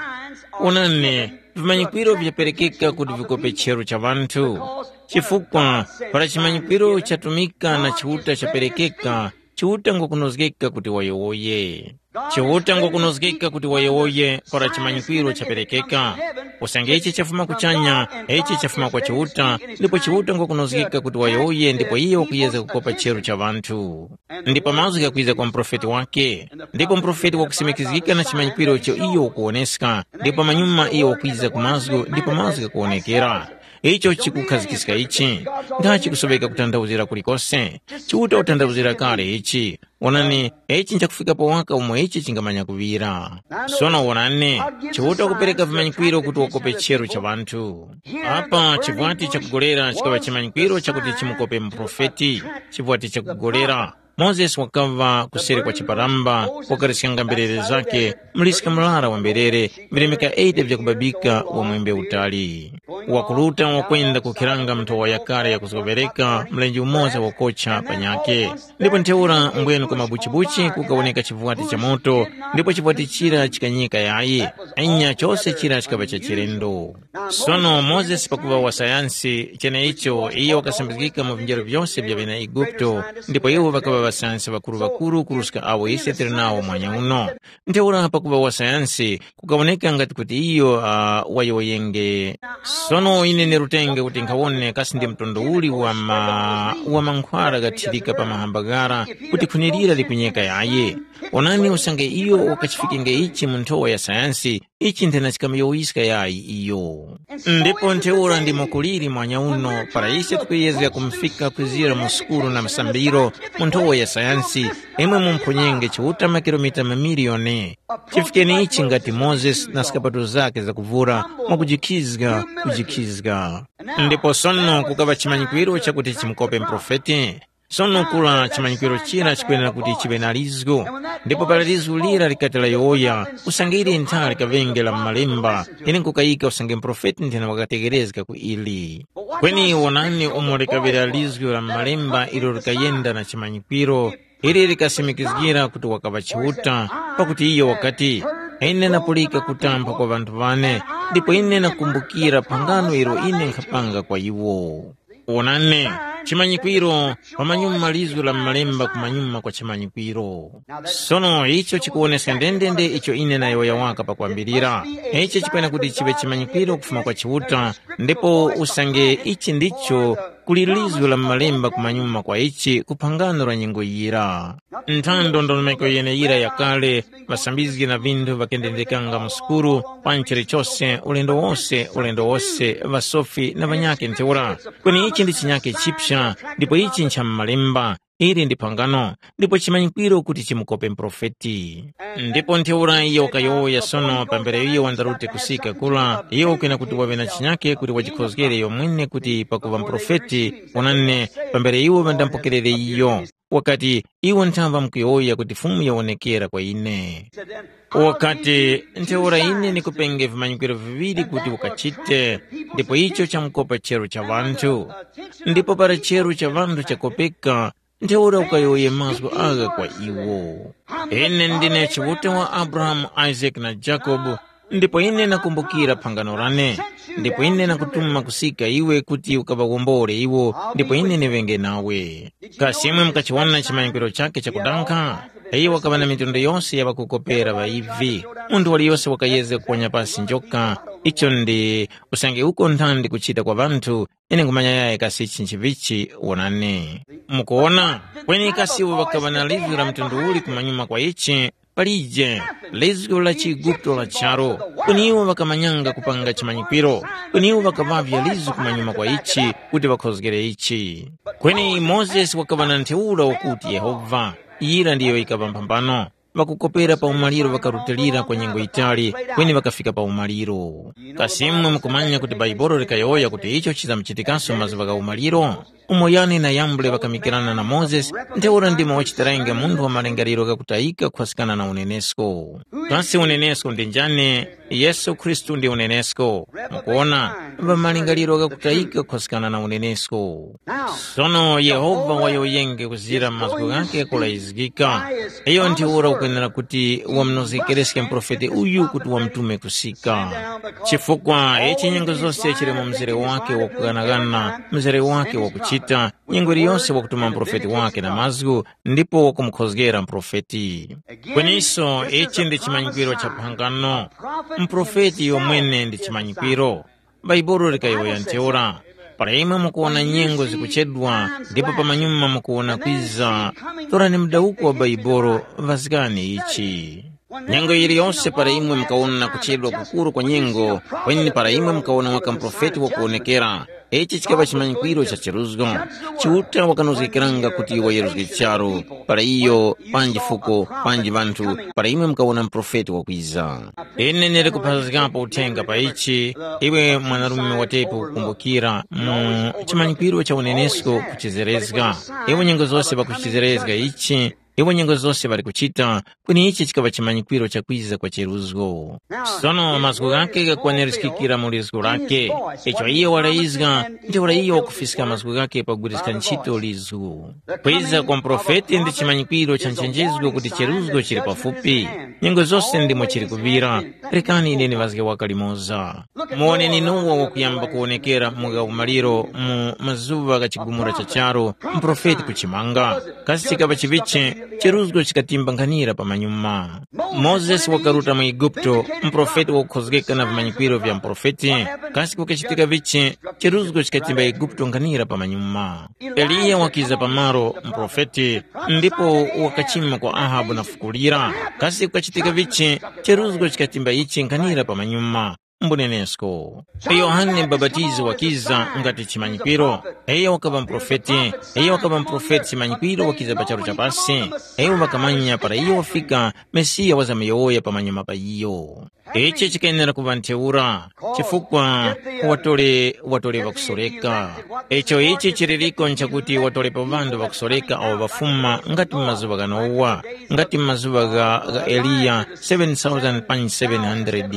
Onani, vimanyikwiro vyaperekeka kuti vikope chero cha ŵanthu. Chifukwa para chimanyikwiro chatumika na Chiuta chaperekeka, Chiuta ngwakunozgeka kuti wayowoye. Chiuta ngwakunozgeka kuti wayowoye para chimanyikwiro chaperekeka. Usange ichi chafuma kuchanya, ichi chafuma kwa Chiuta, ndipo Chiuta ngwakunozgeka kuti wayowoye ndipo iye wakuyeza kukopa chero cha ŵanthu. Ndipo mazgu ghakwiza kwa muprofeti wake, ndipo muprofeti wakusimikizgika na chimanyikwiro icho iyo ukuwoneska, ndipo pamanyuma iyo wakwiza ku mazgu ndipo mazgu ghakuwonekera. Icho chikukhazikiska ichi, nga chikusoweka kutanthauzira kulikose. Chiuta watanthauzira kale ichi. Onani, ichi nchakufikapo waka umo ichi chingamanya kuŵira. Sono wonani, Chiuta wakupereka vimanyikwiro kuti wakope chero cha ŵanthu. Apa chivwati chakugolera chikaŵa chimanyikwiro chakuti chimukope muprofeti. Chivwati chakugolera. Mozesi wakaŵa kuseri kwa chiparamba, wakariskanga mberere zake, mliska murara wa mberere, vilemeka eighty vyakubabika wa mwembe utali. Wakuruta wakwenda kukhiranga nthowa yakale yakuzgoŵereka mlenje umoza wakocha panyakhe. Ndipo ntheura mbwenu kwa mabuchibuchi kukawoneka chivwati cha moto, ndipo chivwati chira chikanyika yayi. Anya chose chira chikaŵa cha chilendo. Sono Mozesi pakuŵa wa sayansi, cheneicho iyo wakasambizgika mu vinjero vyose vya ŵena Eguputo, ndipo iwo ŵakaŵa ŵasayansi ŵakuru-ŵakuru kuruska awo ise tili nawo mwanya uno. Ntheura pakuŵa wa sayansi, kukawoneka ngati kuti iyo uh, wayowoyenge. Sono ine nerutenge kuti nkhawone kasi ndi mtundu uli wa, ma, wa mankhwala ghathirika pa mahamba ghara kuti khuni lira likunyeka yaye. Onani usange iyo wakachifikenge ichi mu nthowa ya sayansi, ichi nthena chikamuyowoyiska yayi iyo. Ndipo ntheura ndimo kuliri mwanya uno para ise tikuyezga kumufika kwizira mu sukulu na msambiro mu nthowa ya sayansi, imwe mumphonyenge Chiuta makilomita mamiliyoni. Chifikeni ichi ngati Mozesi na zikapato zake zakuvura mwakujikhizga kujikhizga. Ndipo sono kukaŵa chimanyikwiro chakuti chimukope mprofeti. Sono kura chimanyikwiro chira chikwenera kuti chiŵe na lizgu, ndipo para lizgu lira likati layowoya, usange ili ntha likaŵenge la m'malemba, ine nkukayika usange muprofeti nthena wakategerezga ku ili. Kweni wonani umo likaŵira lizgu la m'malemba ilo likayenda na chimanyikwiro, ili likasimikizgira kuti wakaŵa Chiuta, pakuti iyo wakati, ine napulika kutamba kwa ŵanthu ŵane, ndipo ine nakumbukira phangano ilo ine nkhapanga kwa iwo. Wonani, Chimanyikwiro, pamanyuma lizgu la m'malemba kumanyuma kwa chimanyikwiro. Sono icho chikuwoneska ndendende icho ine nayowoya waka pakwambirira. Ichi chikwena kuti chiŵe chimanyikwiro kufuma kwa Chiuta, ndipo usange ichi ndicho kuli lizgu la m'malemba kumanyuma kwa ichi ku phangano la nyengo yira. Nthando ndondomeko yeneyira yakale, ŵasambizgi na vinthu ŵakendendekanga mu sukuru, pa nchere chose, ulendo wose, ulendo wose, ŵasofi na ŵanyakhe ntheura. Kweni ichi ndi chinyakhe chipsa, ndipo ichi ncha mu malemba, ili ndi phangano, ndipo chimanyikwiro kuti chimukope muprofeti. Ndipo ntheura iyo wakayowoya sono pambere iyo wandarute kusika kula, iyo ukwena kuti waŵe na chinyakhe kuti wajikhozgere iyo mwene kuti pakuŵa muprofeti, onani, pambere iwo ŵandamupokerere iyo. Wakati, iwo nthamba mkuyowoya kuti Fumu yawonekera kwa ine. Wakati, ntheura ine ndikupenge vimanyikwiro viŵiri kuti ukachite, ndipo icho chamukopa chero cha ŵanthu. Ndipo para chero cha ŵanthu chakopeka, ntheura ukayowoye mazgu agha kwa iwo. Ine ndine Chiuta wa Abrahamu, Isaac na Jacob, ndipo ine nakumbukira phangano lane, ndipo ine nakutuma kusika iwe kuti ukaŵawombole iwo, ndipo ine ndiŵenge nawe. Kasi imwe mukachiwona chimanyikwiro chakhe chakudankha? Iye wakaŵa na mitundu yose ya ŵakukopera ŵa ivi. Munthu waliyose wakayezga kuponya pasi njoka. Icho ndi usange uko nthandi kuchita kwa ŵanthu, ine nkhumanya yaye kasi ichi nchivichi wonani. Mukuwona? Kweni kasi iwo ŵakaŵa na lizwi la mtundu uli kumanyuma kwa ichi? Palije, lizgu la chiEguputo la charu, kweni iwo ŵakamanyanga kupanga chimanyikwiro, kweni iwo ŵakaŵavya lizgu kumanyuma kwa ichi kuti ŵakhozgere ichi. Kweni Mozesi wakaŵa na ntheura wakuti Yehova, yira ndiyo yikaŵa mphambano, ŵakukopera pa umaliro ŵakarutilira kwa nyengo yitali, kweni ŵakafika pa umaliro. Kasi imwe mukumanya kuti Baibolo likayowoya kuti icho chizamuchitikaso mazuŵa gha umaliro? Umo Yane na Yambure ŵakamikirana na Mozesi, ntheura ndimo wachitarange munthu wa malingaliro ghakutayika kukhwaskana na unenesko. Kasi unenesko ndi njani? Yesu Khristu ndi unenesko. Mukuona, ŵa malingaliro ghakutayika kukhwaskana na unenesko. Sono Yehova wayowoyenge kuzira mazgu ghakhe kulayizgika. Iyo ntheura ukwenera kuti wamunozgekereske muprofeti uyu kuti wamutume kusika. Chifukwa ichi nyengo zose chili mu mzere wake wakughanaghana, mzere wake wakuchita, nyengo iliyose wakutuma muprofeti wake na mazgu, ndipo wakumukhozgera muprofeti. Kweniso ichi ndi chimanyikwiro cha phangano. Muprofeti yomwene ndi chimanyikwiro. Bhaibuli likayowoya ntheura, para imwe mukuwona nyengo zikuchedwa ndipo pamanyuma mukuwona kwiza, torani mudawuko wa Bhaibuli, vazgani ichi. Nyengo yiliyose para imwe mukawona kuchedwa kukuru kwa nyengo, kweni para imwe mukawona waka muprofeti wakuwonekera, ichi chikaŵa chimanyikwiro cha chiruzgo. Chiuta wakanozgekeranga kuti wayeruzge charu, para iyo, panji fuko, panji ŵanthu, para imwe mukawona muprofeti wakwiza. Ine ndili kuphazgapo uthenga pa ichi, iwe mwanarume watepo kukumbukira mu chimanyikwiro cha unenesko kuchizerezga. Iwe nyengo zose pakuchizerezga ichi, iwe nyengo zose ŵali kuchita, kweni ichi chikaŵa chimanyikwiro cha kwiza kwa cheruzgo. Sono mazgu ghake ghakwanirizgikira mu lizgu lake. Icho iye walayizga, ntheura iye wakufiska mazgu ghake pagwiriska ntchito lizgu. Kwiza kwa muprofeti ndi chimanyikwiro cha nchenjezgo kuti cheruzgo chili pafupi. Nyengo zose ndimo chili kuŵira. Rekani ine ndiŵazge waka limoza. Muwoneni Nowa wakuyamba kuwonekera mu gha umaliro mu mazuŵa gha chigumula cha charu, muprofeti kuchimanga. Kasi chikaŵa chivichi, cheruzgo chikatimba nkhanira pamanyuma. Mozesi wakaruta mu Eguputo, muprofeti wakukhozgeka na vimanyikwiro vya muprofeti. Kasi kukachitika vichi, cheruzgo chikatimba Eguputo nkhanira pamanyuma. Eliya wakiza pamalo, muprofeti, ndipo wakachima kwa Ahabu na fukulira. Kasi kukachitika vichi, cheruzgo chikatimba ichi nkhanira pamanyuma. Mbunenesko. Yohane Mubapatizi wakiza ngati chimanyikwiro. Iyo wakaŵa muprofeti. Iyo wakaŵa muprofeti chimanyikwiro wakiza pa charu cha pasi. Iwo ŵakamanya para iyo wafika, Mesiya wazamyowoya pamanyuma pa iyo. Ichi chikayenera kuŵa ntheura, chifukwa watole watole ŵakusoreka. Icho ichi chililiko nchakuti watole pa ŵanthu ŵakusoreka awo ŵafuma ngati mu mazuŵa gha Nowa, ngati mu mazuŵa gha, gha Eliya seven thousand panji seven hundred.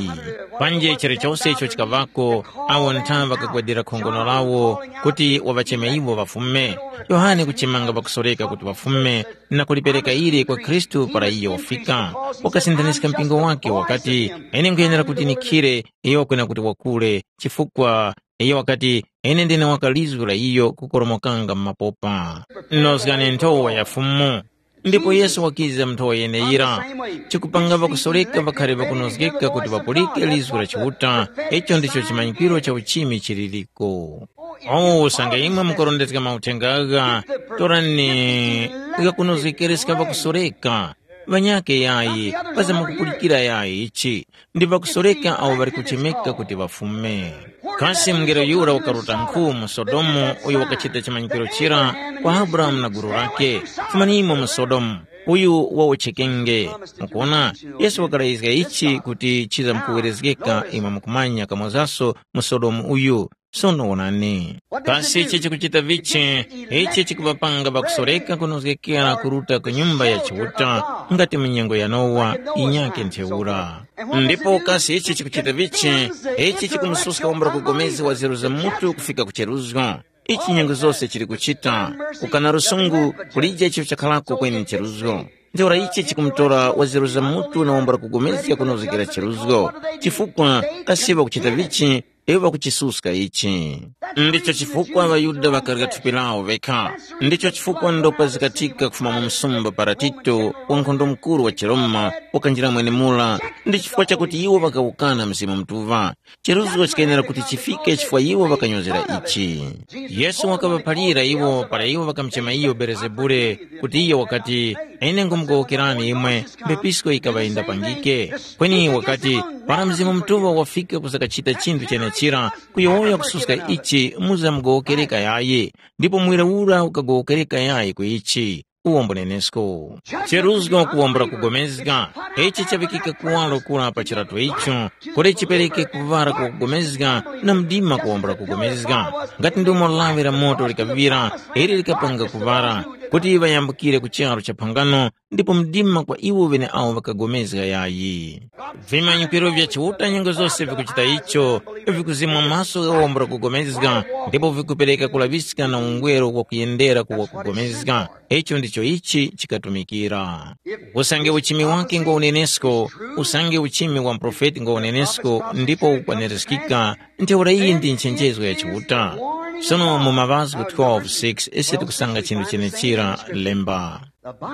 Panji chilichose icho chikaŵako, awo ntha ŵakagwadira khongono lawo kuti waŵacheme iwo ŵafume. Yohane kuchimanga ŵakusoreka kuti ŵafume, na kulipereka ili kwa Khristu para iyo wafika. Wakasinthanika mpingo wake wakati, ine nkhuyenera kuti nikhire, iyo kwena kuti wakule, chifukwa Iyo wakati, “Ine ndine waka lizgu la iyo kukoromokanga mu mapopa. Nozgani nthowa ya Fumu.” Ndipo Yesu wakiza mu nthowa yeneyira. Chikupanga ŵakusoreka ŵakhali ŵakunozgeka kuti ŵapulike lizgu la Chiuta, icho ndicho chimanyikiro cha uchimi chililiko. O usange imwe mukurondezga mauthenga agha, torani ghakunozgekereska ŵakusoreka, ŵanyakhe yayi, paza mukupulikira yayi ichi, ndi ŵakusoreka awo ŵali kuchemeka kuti ŵafume. Kasi mungelo yura wakaruta nkhu mu Sodomu uyo wakachita chimanyikiro chira kwa Abrahamu na gulu lakhe, “Fumanimo mu Sodomu, uyu wawotchekenge.” Mukuona, Yesu wakalazga ichi kuti chizamkuwerezgeka imwe mukumanya kamozaso mu Sodomu uyu. Sono wonani, kasi ichi chikuchita vichi? Ichi chikuvapanga ŵakusoreka kunozgekera kuruta ku Nyumba ya Chiuta ngati mu nyengo ya Nowa inyake ntheura. Ndipo kasi ichi chikuchita vichi? Ichi chikumususka wambula kugomezga wa zero za mutu kufika ku cheruzgo. Ichi nyengo zose chili kuchita, kukana lusungu kulije icho chakharako kweni ncheruzgo. Ntheura ichi chikumutora wa zero za mutu na wambula kugomezga kunozgekera cheruzgo. Chifukwa kasi ŵakuchita vichi? Iwo ŵakuchisuska ichi. Ndicho chifukwa ŵaYuda ŵakarya thupi lawo ŵekha. Ndicho chifukwa ndopa zikathika kufuma mu msumba para Tito, wankhondo mukuru wa chiRoma, wakanjira mwenemura, ndi chifukwa chakuti iwo ŵakawukana Mzimu Mutuŵa. Cheruzgo chikayenera kuti chifike chifukwa iwo ŵakanyozera ichi. Yesu wakaŵaphalira iwo para iwo ŵakamuchema iyo Belezebule, kuti iyo wakati, “Ine ngumugowokerani imwe, mbepisko yikaŵa yindapangike.” Kweni wakati, “Para Mzimu Mutuŵa wafika kuzakachita chinthu chenechira, kuyowoya kususka ichi muzamugowokereka yayi, ndipo muwira ura ukagowokereka yayi ku ichi.” Uwombo nenesko. Cheruzgo kuwambula kugomezga, ichi chaŵikika kuwaro kura pa chirato icho, kuti chipereke kuŵara kwa kugomezga na mdima kuwambula kugomezga. Ngati ndomo lawi la moto likaŵira, ili likapanga kuŵara, kuti ŵayambukire ku charu cha phangano, ndipo mdima kwa iwo ŵeneawo ŵakagomezga yayi. Vimanyikiro vya Chiuta nyengo zose vikuchita icho, vikuzimwa maso gha wambula kugomezga, ndipo vikupereka kulaŵiska na ungweru wakuyendera ku wakugomezga. Icho ndicho ichi chikatumikira. Usange uchimi wake ngwa unenesko, usange uchimi wa muprofeti ngwa unenesko ndipo ukwanirizgika, ntheura iyi ndi nchenjezo ya Chiuta. Sono mu Maŵazgu twelve six ise tikusanga chinthu chenechira lemba.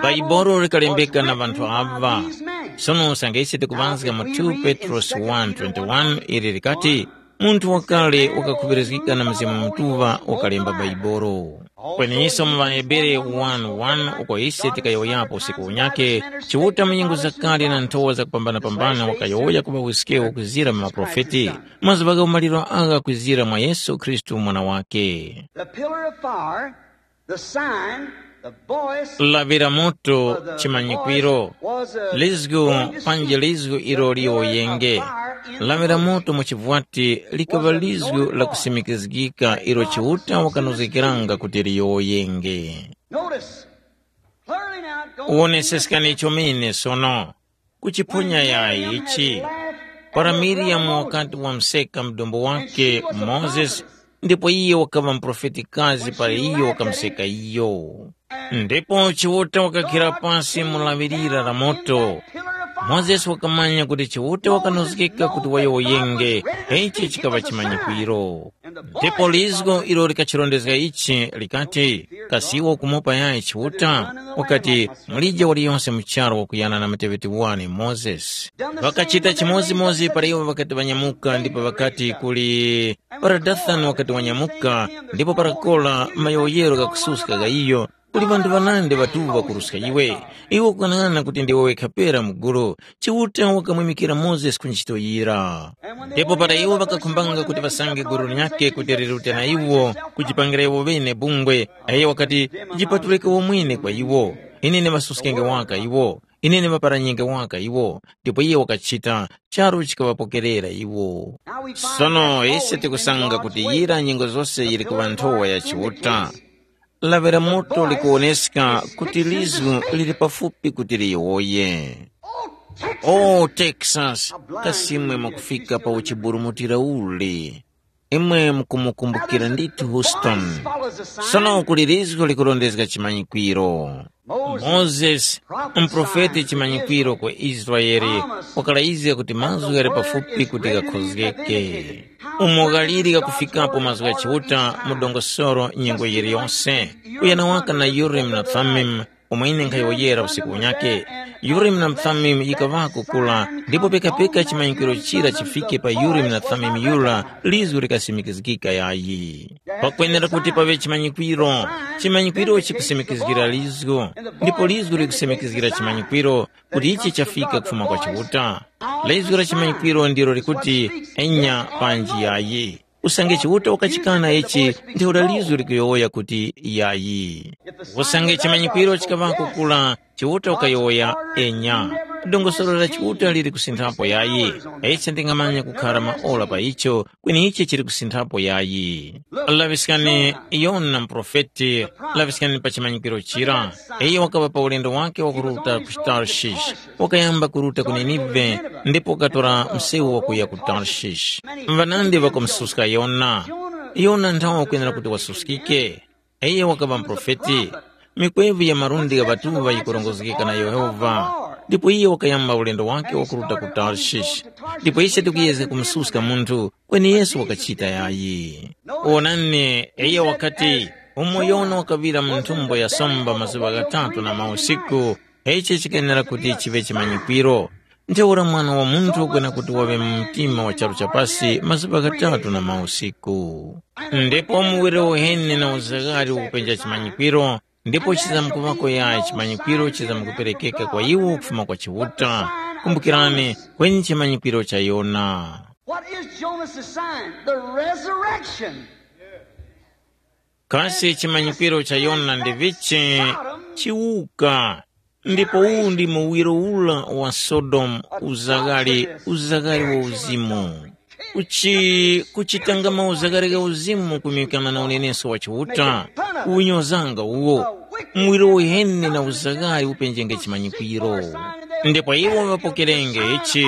Bhaibolo likalembeka na ŵanthu aŵa. Sono usange ise tikuŵazga mu two Petrosi one twenty-one ili likati, munthu wakale wakakhuŵirizgika na Mzimu Mutuŵa wakalemba Bhaibuli. Kweninso mu ŵaHebere one one uko ise tikayowoyapo usiku unyakhe, Chiuta mu nyengo zakale na nthowa zakupambanapambana wakayowoya ku ŵawiskewo kuzira mu maprofeti, mazuŵa gha umaliro agha kwizira mwa Yesu Khristu Mwana wakhe. The pillar of fire, the sign, the voice, lawi la moto, chimanyikwiro, lizgu, panji lizgu ilo liyowoyenge. Lawi la moto mu chivwati likaŵa lizgu la kusimikizgika ilo Chiuta wakanozgekeranga kuti liyowoyenge. Notice, clearly now, go. Woneseskani icho mene sono. Kuchiphonya yayi ichi. Para Miriyamu wakati wamseka mdombo wake Mozesi, ndipo iye wakaŵa muprofetikazi para iyo wakamseka iyo. Ndipo Chiuta wakakhira pasi mu lawi lira la moto. Mozesi wakamanya kuti Chiuta wakanozgeka kuti wayowoyenge, ichi chikaŵa chimanyikwiro. Ndipo lizgo ilo likachirondezga ichi likati, kasi iwe ukumupa yayi Chiuta? Wakati, mulije waliyonse mu charu wakuyana na muteŵeti wane Mozesi. Ŵakachita chimodzimodzi para iwo ŵakati ŵanyamuka ndipo ŵakati kuli, para Dathani wakati wanyamuka, ndipo para Kora mayowoyero ghakususka gha iyo, kuli ŵanthu ŵanandi ŵatuŵa kuruska iwe. Iwe ukung'anang'ana kuti ndiwe wekha pera mu gulu. Chiuta wakamwimikira Mozesi ku ntchito yira. Ndipo para iwo ŵakakhumbanga kuti ŵasange gulu linyakhe kuti lirute na iwo, kujipangira iwo ŵene bungwe, aye wakati, jipatulike womwene kwa iwo. Ine ndiŵasuskenge waka iwo. Ine ndiŵaparanyenge waka iwo. Ndipo iye wakachita, charu chikaŵapokerera iwo. Sono ise tikusanga kuti yira nyengo zose yili kuŵa nthowa ya Chiuta. Lawi la moto likuwoneska kuti lizgu lili pafupi kuti liyowoye. O Texas, kasi imwe mukufika pa uchiburumutira uli? Imwe mukumukumbukira ndithu Houston. Sono kuli lizgu likurondezga chimanyikwiro. Mozesi, muprofeti chimanyikwiro kwa Israele, wakalayizga kuti mazgu ghali pafupi kuti ghakhozgeke. Umo ghaliri ghakufikapo mazgu gha Chiuta mu dongosolo nyengo yiliyose, kuyana waka na Urimu na Thumimu, umo ine nkhayowoyera usiku unyakhe. Urimu na Thumimu yikaŵako kura, ndipo pekapeka chimanyikwiro chira chifike pa Urimu na Thumimu yura, lizgu likasimikizgika yayi. Pakwenera kuti paŵe chimanyikwiro. Chimanyikwiro chikusimikizgira lizgu, ndipo lizgu likusimikizgira chimanyikwiro, kuti ichi chafika kufuma kwa Chiuta. Lizgu la chimanyikwiro ndilo likuti, enya panji yayi. Usange Chiuta wakachikana ichi, ntheura lizgu likuyowoya kuti, yayi. Usange chimanyikwiro chikaŵako kura, Chiuta wakayowoya, enya. Dongosolo la Chiuta lili kusinthapo yayi. Ise ndingamanya kukhara maora pa icho, kweni ichi chili kusinthapo yayi. Laŵiskani, Yona muprofeti, laŵiskani pa chimanyikwiro chira. Iyo wakaŵa pa ulendo wake wakuruta ku Tarshish, wakayamba kuruta ku Ninive, ndipo wakatora msewu wakuya ku Tarshish. Ŵanandi ŵakamususka Yona. Yona nthawe wakwenera kuti wasuskike. Iyo wakaŵa muprofeti. Mikwevu ya malundi gha ŵatuŵa yikurongozgeka na Yehova, ndipo iyo wakayamba ulendo wake wakuruta ku Tarshish. Ndipo ise tikuyezga kumususka munthu, kweni Yesu wakachita yayi. Wonani, iyo wakati, umo Yona wakaŵira mu nthumbo ya somba mazuŵa ghatatu na mausiku, ichi chikenera kuti chiŵe chimanyikwiro. Ntheura Mwana wa Munthu kwena kuti waŵe mu mtima wa charu cha pasi mazuŵa ghatatu na mausiku. Ndipo muwiro uheni na uzaghali ukupenja chimanyikwiro, ndipo chizamkuŵako yayi chimanyikwiro chizamkuperekeka kwa iwo kufuma kwa Chiuta. Kumbukirani, kweni chimanyikwiro cha Yona. What is Jonah's sign? The resurrection. Kasi chimanyikwiro cha Yona ndi vichi? Chiwuka. Ndipo uwu ndi muwiro ura wa Sodomu, uzaghali, uzaghali wa uzimu. Kuchi, kuchitanga mauzaghali gha uzimu kumikana na unenesko wa Chiuta, kuwunyozanga uwo. Muwiro uheni na uzaghali upenjenge chimanyikwiro. Ndipo iwo ŵapokerenge ichi,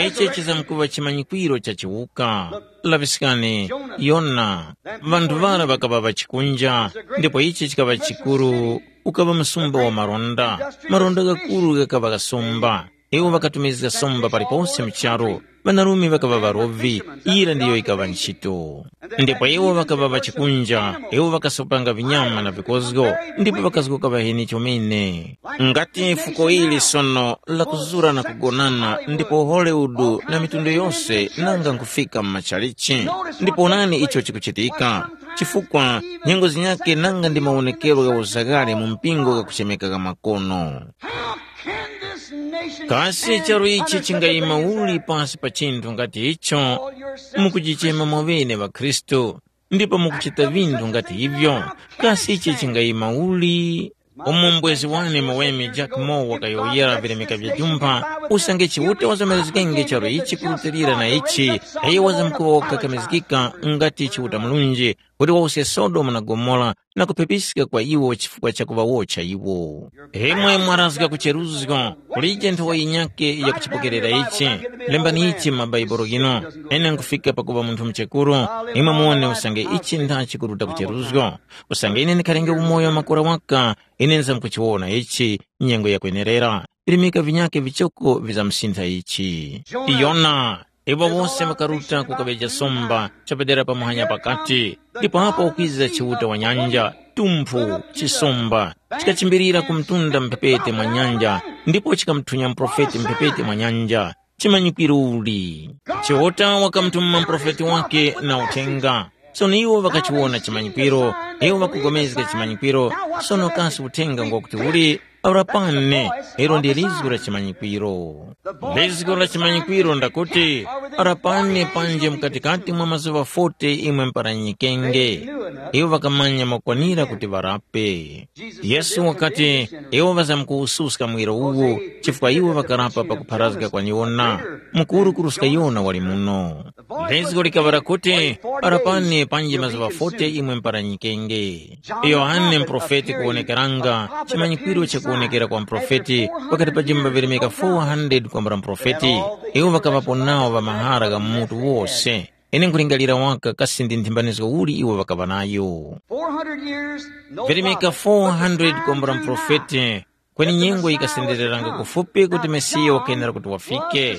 ichi chizamkuŵa chimanyikwiro cha chiwuka. Laŵiskani, Yona, ŵanthu ŵara ŵakaŵa ŵachikunja, ndipo ichi chikaŵa chikuru, ukaŵa msumba wa maronda. Maronda ghakuru ghakaŵa ghasomba. Iwo ŵakatumizga somba palipose mu charu. Ŵanarume ŵakaŵa ŵarovi, yira ndiyo yikaŵa ntchito. Ndipo iwo ŵakaŵa ŵachikunja, iwo ŵakasopanga vinyama na vikozgo, ndipo ŵakazgoka ŵaheni chomene. Ngati fuko ili sono lakuzura na kugonana ndipo Hollywood na mitundu yose nanga nkufika mu machalichi. Ndipo onani icho chikuchitika, chifukwa nyengo zinyakhe nanga ndi mawonekero gha uzaghali mu mpingo ghakuchemeka gha makono. How can this nation Kasi stand charu ichi under such a chingayima thing as uli that? Pasi pa chinthu ngati icho? Call yourself mukuchichema mwaŵene ŵakhristu, ndipo mukuchita vinthu ngati ivyo, kasi ichi chingayima uli? Umo mbwezi wane muweme Jack Moore wakayowoyera vilemeka vya jumpha, usange Chiuta wazomerezgenge charu ichi kurutilira na ichi, ayi wazamkuŵa wakakamizgika ngati Chiuta Mulunji, kuti wawuske Sodomu na Gomora na kuphepiska kwa iwo chifukwa cha kuŵawotcha iwo. Imwe mwarazga kucheruzgo, kulije nthowa yinyakhe yakuchipokerera ichi. Lembani ichi mu mabaibulo ghinu. Ine nkufika pakuŵa munthu muchekuru, imwe muwone usange ichi ndachi kuruta kucheruzgo. Usange ine ndikharenge umoyo wa makora waka, ine nzamkuchiwona ichi nyengo yakwenerera. Virimika vinyakhe vichoko vizamusintha ichi. Yona, iwo wose ŵakaruta kukaŵeja somba chapadera pa muhanya pakati, ndipo apo ukwiza Chiuta wa nyanja, tumphu, chisomba, chikachimbirira ku mtunda mphepete mwa nyanja, ndipo chikamuthunya muprofeti mphepete mwa nyanja. Chimanyikwiro uli? Chiuta wakamutuma muprofeti wake na uthenga. Sono iwo ŵakachiwona chimanyikwiro, iwo ŵakugomezga chimanyikwiro. Sono kasi uthenga ngwakuti uli? Aurapane, ilo ndi lizgu la chimanyikwiro. Lizgu la chimanyikwiro ndakuti, arapane panje mkatikati mwa mazuŵa forty imwe mparanyikenge. Iwo ŵakamanya makwanira kuti ŵarape. Yesu wakati, iwo ŵazamkuwususka mwiro uwu, chifukwa iwo ŵakarapa pakupharazga kwa Yona. Mukuru kuruska Yona wali muno. Lizgu likaŵa lakuti, arapani panji mazuŵa forty imwe mparanyikenge. Yohane muprofeti kuwonekeranga, chimanyikwiro chakuwonekera kwa muprofeti pakati pa jimba virimika four hundred kwambula muprofeti. Iwo ŵakaŵapo nawo ŵa mahara gha mutu wose. Ine nkulingalira waka kasi ndi nthimbanizgo uli iwo ŵakaŵa nayo. four hundred years, no Virimika prophet four hundred was kwambula prophesying muprofeti, kweni nyengo yikasendereranga kufupi kuti Mesiya wakenera kuti wafike.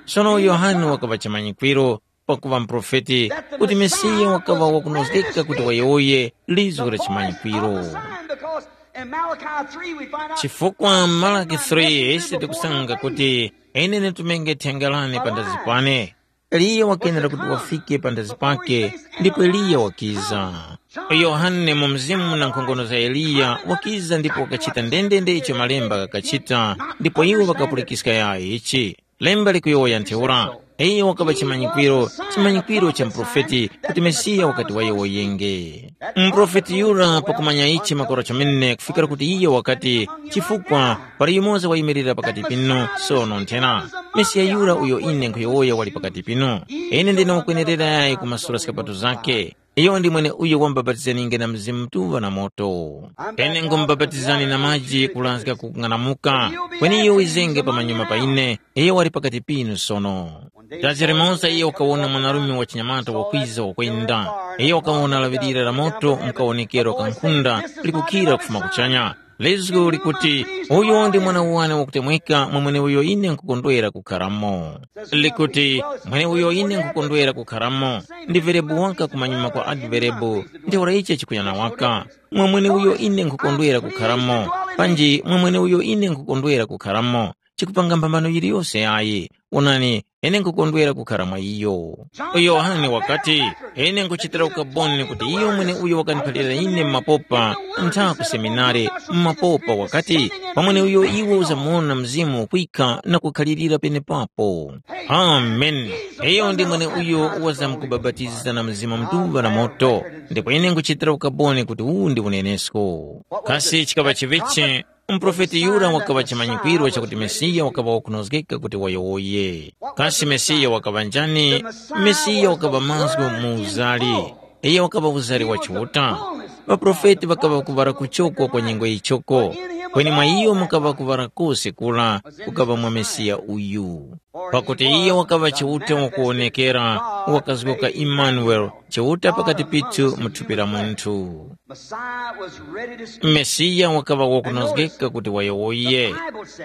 Sono Yohane wakaŵa chimanyikwiro pakuŵa muprofeti, kuti Mesiya wakaŵa wakunozgeka kuti wayowoye lizgu la chimanyikwiro. Chifukwa m'Malaki three ise tikusanga kuti, ine nditumenge thenga lane pandazi pane. Eliya wakenera kuti wafike pandazi pake, ndipo Eliya wakiza. Yohane mu mzimu na nkhongono za Eliya wakiza ndipo wakachita ndendende icho malemba ghakachita, ndipo iwo ŵakapulikiska yayi ichi. Lemba likuyowoya ntheura, iyo wakaŵa chimanyikwiro, chimanyikwiro cha muprofeti kuti Mesiya wakati wayowoyenge. Muprofeti yura pakumanya ichi makora chomene kufikira kuti iyo wakati, chifukwa pali yumoza wayimirira pakati pinu sono nthena. Mesiya yura uyo ine nkhuyowoya wali pakati pinu. Ine ndine wakwenerera yayi kumasula zikapato zake. Iyo ndi mwene uyo wamubapatizaninge na Mzimu Mutuŵa na moto. Ine ngumubapatizani na maji kulanzga kukung'anamuka, kweni iyo wizenge pamanyuma pa ine, iyo wali pakati pinu sono. Dazi limoza iyo wakawona mwanarume wa chinyamata wakwiza wakwenda. Iyo wakawona laŵirira la moto mukawonekero kankhunda likukhira kufuma kuchanya. Lizgu likuti, uyo ndi mwana wane wakutemweka mwa mweneuyo ine nkhukondwera kukharamo. Likuti, mweneuyo ine nkhukondwera kukharamo, ndi verebu waka kumanyuma kwa adverebu, ntheura ichi chikunyana waka. Mwa mweneuyo ine nkhukondwera kukharamo, panji mwa mweneuyo ine nkhukondwera kukharamo, chikupanga mphambano yiliyose yayi. Onani, ine nkhukondwera kukhara mwa iyo. Yohane wakati, ine nkuchitira ukaboni kuti iyo mwene uyo wakandiphalira ine mu mapopa, ntha ku seminari, mu mapopa wakati, pamwene uyo iwe uzamuwona mzimu ukwika na kukhalirira penepapo. Amen. Iyo ndi mwene uyo wazamkubapatiza na Mzimu Mutuŵa na moto, ndipo ine nkuchitira ukaboni kuti uwu ndi unenesko. Kasi chikaŵa chivichi? Muprofeti yura wakaŵa chimanyikwiro chakuti Mesiya wakaŵa wakunozgeka kuti wayowoye. Kasi Mesiya wakaŵa njani? Mesiya wakaŵa mazgu mu uzali. Iyo wakaŵa uzali wa Chiuta. Ŵaprofeti ŵakaŵa kuŵala kuchoko kwa nyengo yichoko, kweni mwa iyo mukaŵa kuŵala kose kura kukaŵa mwa Mesiya uyu. Pakuti iyo wakaŵa Chiuta wakuwonekera, wakazgoka Imanuele, Chiuta pakati pithu mu thupi la munthu. Mesiya wakaŵa wakunozgeka kuti wayowoye.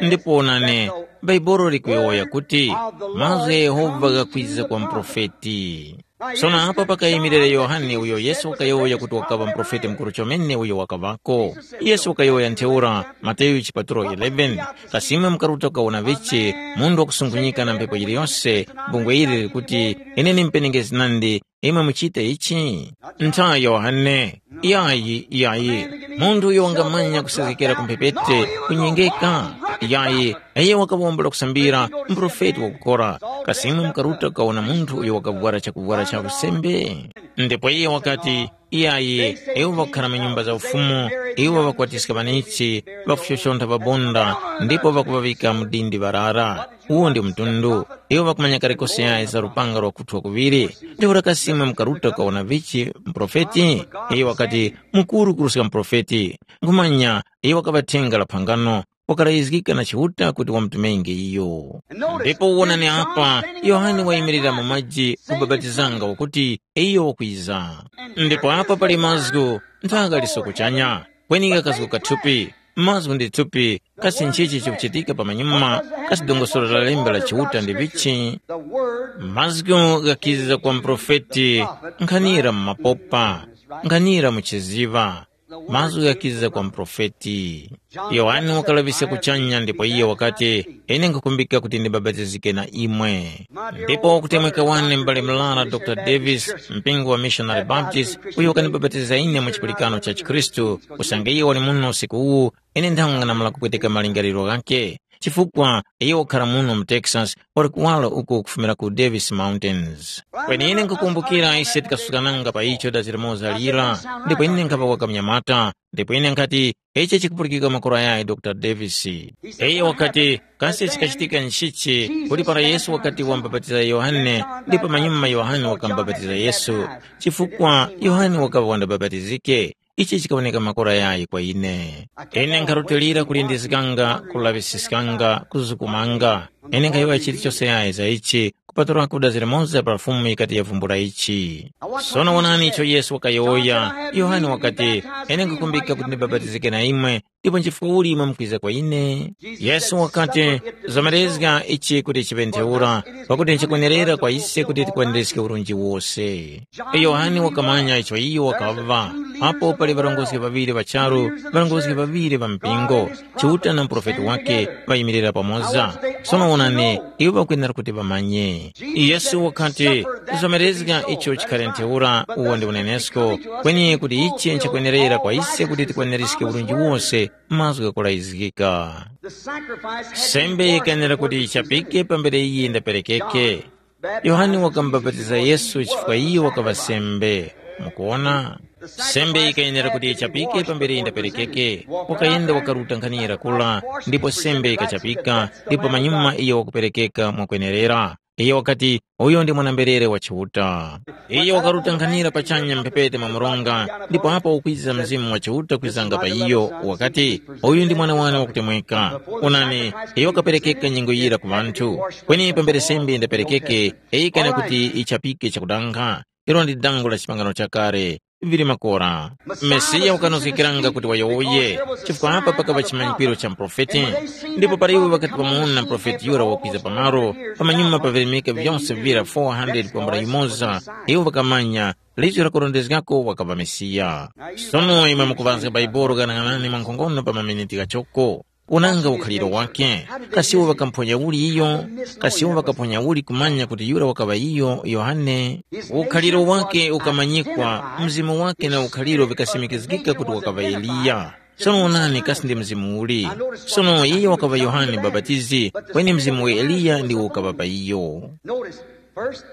Ndipo onani, Bhaibuli likuyowoya kuti, mazgu gha Yehova ghakwiza kwa muprofeti. Sono apa pakayimirira Yohane uyo Yesu wakayowoya kuti wakaŵa muprofeti mukuru chomene uyo wakaŵako. Yesu wakayowoya ntheura, Mateyu chipatulo eleven, kasimwe mukaruta kukawona vichi, munthu wakusunkhunyika na mphepo yiliyose, bungwe ili likuti, ine ni mupenengezi nandi, imwe muchite ichi? Ntha Yohane, yayi, yayi, munthu uyo wangamanya kusezgekera ku mphepete, kunyengeka, yayi, iyo wakawombola kusambira, muprofeti wakukora, kasimwe mukaruta kukawona munthu uyo wakavwara chakuvwara cha usembe? Ndipo iye wakati, iyayi, iwo ŵakukhara mu nyumba za ufumu, iwo ŵakwatiska ŵanichi, ŵakushoshontha ŵabonda, ndipo ŵakuŵavika mu dindi ŵarara. Uwo ndi mtundu. Iwo ŵakumanya kale kose yayi za lupanga lwa kuthwa kuŵiri. Ntheura kasi imwe mukaruta kukawona vichi muprofeti? Iye wakati, mukuru kuruska muprofeti. Nkhumanya, iye wakaŵa thenga la phangano, wakarayizgika na Chiuta kuti wamutumenge iyo. Ndipo wonani apa, Yohane wayimirira mu maji kubapatizanga wakuti, iyo wakwiza. Ndipo apa pali mazgu, nthaka liso kuchanya, kweni kakazgu kathupi, mazgu ndi thupi, kasi nchichi chikuchitika pamanyuma, kasi dongosolo la lemba la Chiuta ndi vichi? Mazgu ghakiza kwa muprofeti, nkhanira mu mapopa, nkhanira mu chiziŵa, mazgu ghakiza kwa muprofeti. Yohane wakalaŵiska kuchanya ndipo iyo wakati, ine nkhukumbika kuti ndibapatizike na imwe. Ndipo wakutemweka wane m'bale mlala Dr Davis, mpingo wa Missionary Baptist, uyo wakanibapatiza ine mu chipulikano cha chikhristu, usange iyo wali muno usiku uwu, ine nthanga namala kupweteka malingaliro ghakhe, chifukwa iyo wakhara muno mu Texas, wali kuwala uko kufumira ku Davis Mountains. Kweni ine nkukumbukira ise tikasukananga pa icho dazi limoza lira, ndipo ine nkhapa wakamunyamata, ndipo ine nkhati, ichi chikupulikika makora yayi Dr Davis. Iyo wakati, kasi chikachitika nchichi kuti para Yesu wakati wamubapatiza Yohane, ndipo pamanyuma Yohane wakamubapatiza Yesu, chifukwa Yohane wakaŵa wandabapatizike. Ichi chikawoneka makora yayi kwa ine. Ine nkharutilira kulindizganga, kulaŵisiskanga, kuzukumanga. Ine nkhayowoya chilichose yayi za ichi, kupatulako dazi limoza pa Fumu yikati yavumbula ichi. Sono wonani icho Yesu wakayowoya. Yohane wakati, ine nkhukumbika kuti ndibapatizike na imwe, ndipo nchifukwa uli mwamkwiza kwa ine? Yesu wakati, zamerezga ichi kuti chiŵe ntheura, pakuti nchikwenerera kwa ise kuti tikwaniriske urunji wose. Yohane wakamanya icho iyo wakaŵa. Apo pali ŵarongozgi ŵaŵiri ŵa charu, ŵarongozgi ŵaŵiri ŵa mpingo, Chiuta na muprofeti wake ŵayimirira pamoza. Sono wonani, iwo ŵakwenera kuti ŵamanye. Yesu wakati, kuzomerezga icho chikhale ntheura uwo ndi unenesko, kweni kuti ichi nchikwenerera kwa ise kuti tikwaniske urunji wose mazgu ghakulayizgika. Sembe yikayenera kuti yichapike pambere iye ndaperekeke. Yohane wakamubapatiza Yesu chifukwa iyo wakaŵa sembe. Mukuwona? Sembe yikayenera kuti yichapike pambere ndaperekeke. Wakayenda wakaruta nkhanira kula, ndipo sembe yikachapika, ndipo pamanyuma iyo wakuperekeka mwakwenerera. Iyo wakati, uyo ndi mwana-mberere wa Chiuta. Iyo wakaruta nkhanira pachanya mphepete mwa mronga, ndipo apo ukwiza Mzimu wa Chiuta kwizanga pa iyo, wakati, uyu ndi mwana wane wakutemweka. Onani, iyo wakaperekeka nyengo yira ku ŵanthu. Kweni pambere sembe ndaperekeke, yikana kuti ichapike chakudanga, ilo ndi dango la chipangano chakale, vili makora. Mesiya wakanozgekeranga kuti wayowoye, chifukwa apa pakaŵa chimanyikwiro cha muprofeti. Ndipo para iwo ŵakati ŵamuwona muprofeti yura wakwiza pamalo, pamanyuma pavirimika vyose vira four hundred kwambula yumoza, iwo ŵakamanya, lizgu lakurondezgako wakaŵa Mesiya. Sono imwe mukuŵazga Baibuli ghanaghanani mwankhongono pa maminiti ghachoko. Unanga ukhaliro wake. Kasi iwo ŵakamphonya uli iyo? Kasi iwo ŵakaponya uli kumanya kuti yura wakaŵa iyo Yohane? Ukhaliro wake ukamanyikwa, mzimu wake na ukhaliro vikasimikizgika kuti wakaŵa Eliya. Sono onani kasi ndi mzimu uli. Sono iye wakaŵa Yohane Mubapatizi, kweni mzimu wa Eliya ndiwo ukaŵa pa iyo. Notice, first,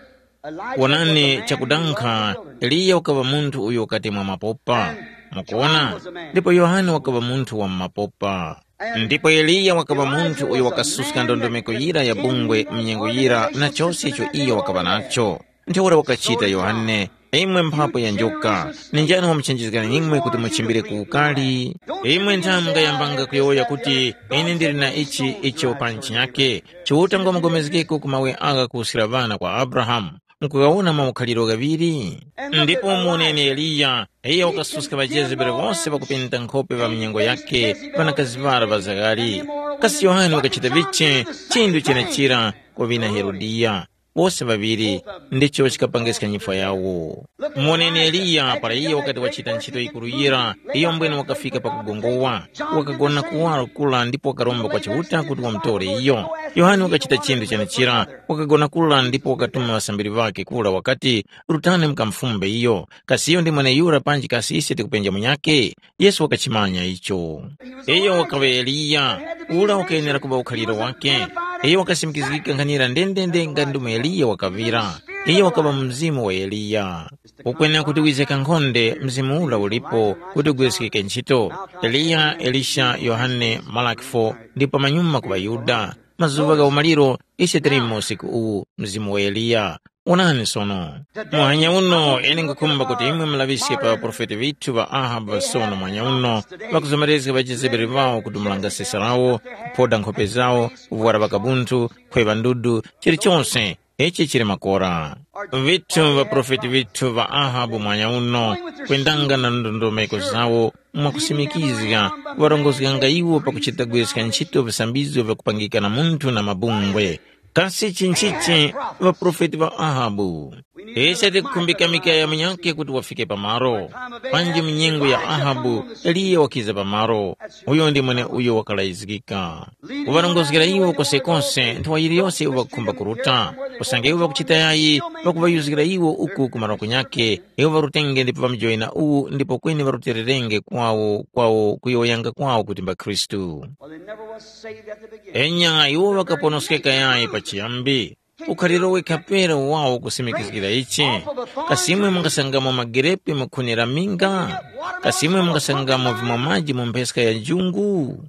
Elijah was a Wonani man who chakudankha, was in the wilderness. Eliya wakaŵa munthu uyo wakati mwa mapopa. Mukuwona? Ndipo Yohane wakaŵa munthu wa mu mapopa. Ndipo Eliya wakaŵa munthu uyo wakasuska ndondomeko yira ya bungwe mnyengo yira na chose icho iyo wakaŵa nacho. Ntheura wakachita Yohane, imwe mphapo ya njoka, ni njani wamuchenjezgani imwe kuti muchimbire ku ukali? Imwe nthamu mungayambanga kuyowoya kuti, ine ndili na ichi icho pa ntchi yake, Chiuta ngwamupulikana ku mawe agha kuwuskira ŵana kwa Abrahamu. Mukughawona maukhaliro ghaŵiri? Ndipo muwoneni Eliya, iyo wakasuska ŵajezebeli wose ŵakupenta nkhope ŵa mnyengo yake, ŵanakazi ŵara ŵa zaghali. Kasi Yohane wakachita vichi chinthu chenechira kwa ŵina Herodiya? Wose ŵaŵiri ndicho chikapangiska nyifwa yawo. Muwoneni Eliya para iyo wakati wachita ntchito yikuru yira, iyo mbwene wakafika pakugongowa, wakagona kuwaro kura ndipo wakaromba kwa Chiuta kuti wamutore iyo. Yohane wakachita chinthu chenechira, wakagona kura ndipo wakatuma ŵasambiri ŵakhe kura wakati, rutani mukamufumbe iyo, kasi iyo ndi mweneyura panji kasi ise tikupenja munyakhe? Yesu wakachimanya icho. Iyo wakaŵa Eliya, ura wakayenera kuŵa ukhaliro wake. Iyo wakasimikizgika nkhanira ndendende nga ndi umo Eliya wakaŵira. Iyo wakaŵa mu mzimu wa Eliya. Ukwenera kuti wize kankhonde mzimu ura ulipo kuti ugwiriskike ntchito. Eliya, Elisha, Yohane, Malaki four, ndipo pamanyuma ku ŵaYuda. Mazuŵa gha umaliro ise tili mu usiku uwu, mzimu wa Eliya. Wonani sono. Muhanya uno ine nkhukhumba kuti imwe mulaŵiske pa ŵaprofeti ŵithu ŵa Ahabu ŵasono muhanya uno, ŵakuzomerezga ŵajezebeli ŵawo kudumulanga sesa lawo, kuphoda nkhope zawo, kuvwara ŵakabunthu, khweŵa ndudu, chilichose. Ichi chili makora. Vithu ŵaprofeti vithu ŵa Ahabu mwanya uno, kwendanga na ndondomeko zawo mwakusimikizga, ŵarongozganga iwo pakuchita kugwiriska ntchito visambizgo vyakupangika na munthu na mabungwe. Kasi chinchichi ŵaprofeti ŵa Ahabu? Ise tikukhumbika mikaya munyakhe kuti wafike pamaro. Panji mu nyengo ya Ahabu, Eliya wakiza pamaro. Uyo ndi mwene uyo wakalayizgika. Kuŵarongozgera iwo kosekose nthawa yiliyose iwo ŵakukhumba kuruta. Usange iwo ŵakuchita yayi, ŵakuŵayuzgira iwo uku ku marokonya ghakhe, iwo ŵarutenge ndipo ŵamujoyina uwu ndipo kweni ŵarutererenge kwawo kwawo kuyowoyanga kwawo kuti mbakhristu. Well, they never was saved at the beginning. Enya iwo ŵakaponoskeka yayi pachiyambi. Ukhaliro wekha pera wawo kusimikizgira ichi. Kasi imwe mungasangamo magerepe mu khuni la minga? Kasi imwe mungasangamo vimwa maji mu mpheska ya njungu?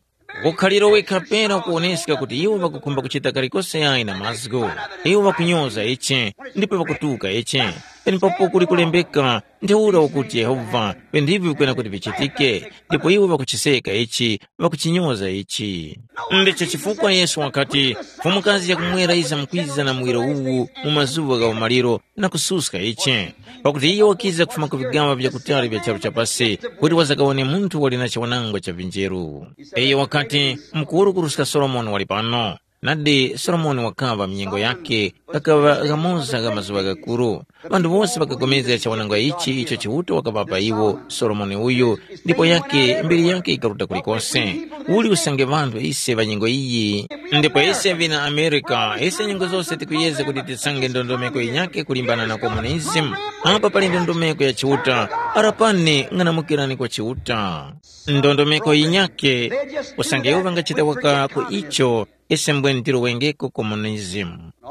Ukhaliro wekha pera ukuwoneska kuti iwo ŵakukhumba kuchita kalikose yayi na mazgu. Iwo ŵakunyoza ichi, ndipo ŵakutuka ichi. penepapo kuli kulembeka, ntheura ukuti Yehova, vinthu ivi vikwena kuti vichitike, ndipo iwo ŵakuchiseka ichi, ŵakuchinyoza ichi. Ndicho chifukwa Yesu wakati, “Mfumukazi yakumwera yizamkwiza na muwiro uwu mu mazuŵa gha umaliro na kususka ichi, pakuti iyo wakiza kufuma ku vigaŵa vyakutali vya charu cha pasi, kuti wazakawane munthu wali na chiwanangwa cha vinjeru.” Iyo wakati, “Mukuru kuruska Solomoni wali pano.” Nadi Solomoni wakaŵa m'nyengo yakhe ghakaŵa ghamoza gha mazuŵa ghakuru. Ŵanthu wose ŵakapulikana chiwanangwa ichi icho Chiuta wakaŵapa iwo Solomoni uyu, ndipo yake mbiri yake ikaruta kulikose. Uli usange ŵanthu ise ŵa nyengo iyi? Ndipo ise vina Amerika, ise nyengo zose tikuyeza kuti tisange ndondomeko yinyakhe kulimbana na komunism. Apa pali ndondomeko ya Chiuta, arapani ng'anamukirani kwa Chiuta. Ndondomeko yinyakhe, usange iwo ŵangachita waka ku icho, ise mbwene tilowengeko komunism.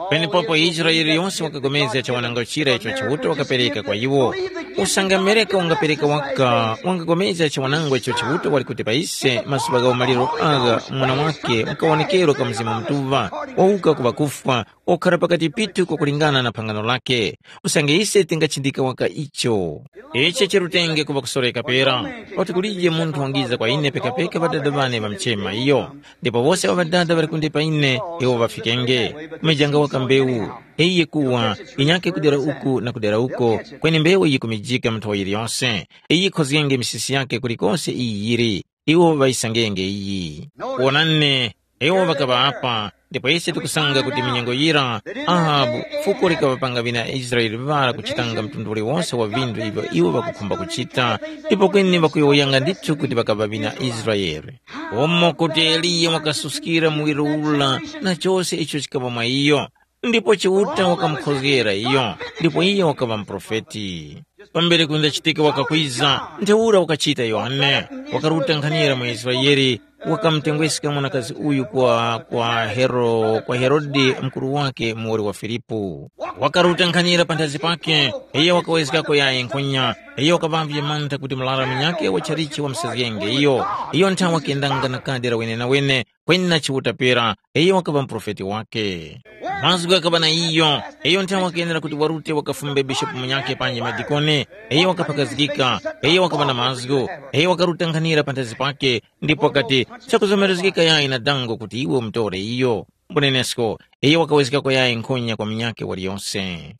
Penepopo Israele yose wakapulikana chiwanangwa chira icho Chiuta wakapereka kwa iwo. Usange Amerika wangapereka waka, wangapulikana chiwanangwa icho Chiuta wali kuti pa ise mazuŵa gha umaliro agha mwana wake mkawonekerwa ka Mzimu Mutuŵa, wawuka ku ŵakufwa, okhara pakati pithu kwakulingana na phangano lake. Usange ise tingachindika waka icho. Ichi chirutenge kuŵa kusoreka pera, pakuti kulije munthu wangiza kwa ine pekapeka Ŵadada ŵane ŵamchema iyo. Ndipo wose awo Ŵadada ŵali kunde pa ine, iwo ŵafikenge. Kumejanga waka mbewu, iyi kuwa, inyake kudera uku na kudera uko, kweni mbewu yikumijika mu nthowa yiliyose. Iyi yikhozgenge misisi yake kulikose iyi yili. Iwo ŵayisangenge iyi. Wonani, iwo ŵakaŵa apa, ndipo ise tikusanga kuti minyengo yira, Ahabu, fuko likaŵapanga ŵina Israele ŵara kuchitanga mtundu uliwose wa vinthu ivyo iwo ŵakukhumba kuchita, ndipo kweni ŵakuyowoyanga ndithu kuti ŵakaŵa ŵina Israele. Umo kuti Eliya wakasuskira muwiro ula na chose icho chikaŵa mwa iyo, ndipo Chiuta wakamukhozgera iyo, ndipo iyo wakaŵa muprofeti. Pambere kundachitika wakakwiza, ntheura wakachita Yohane, wakaruta nkhanira mu Israele, wakamutengweska mwanakazi uyu kwa, kwa Hero, kwa Herode mukuru wake muwoli wa Filipu. Wakaruta nkhanira panthazi pake, iyo wakawezgako yayi nkhonya, iyo wakaŵavye mantha kuti murara munyakhe wachalichi wamusezgenge iyo, iyo nthawe wakendanga na kadi la wenenawene, kweni na Chiuta pera, iyo wakaŵa muprofeti wake. Mazgu ghakaŵa na iyo, iyo nthawe wakenera kuti warute wakafumbe bishopu munyakhe panji madikoni, iyo wakaphakazgika, iyo wakaŵa na mazgu, iyo wakaruta nkhanira panthazi pake, ndipo wakati, chakuzomerezgeka yayi na dango kuti iwe umutore iyo. Mbunenesko, iyo wakawezgako yayi nkhonya kwa munyakhe waliyose.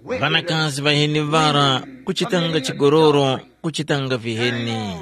Ŵanakazi ŵaheni ŵara, kuchitanga chigololo, kuchitanga viheni.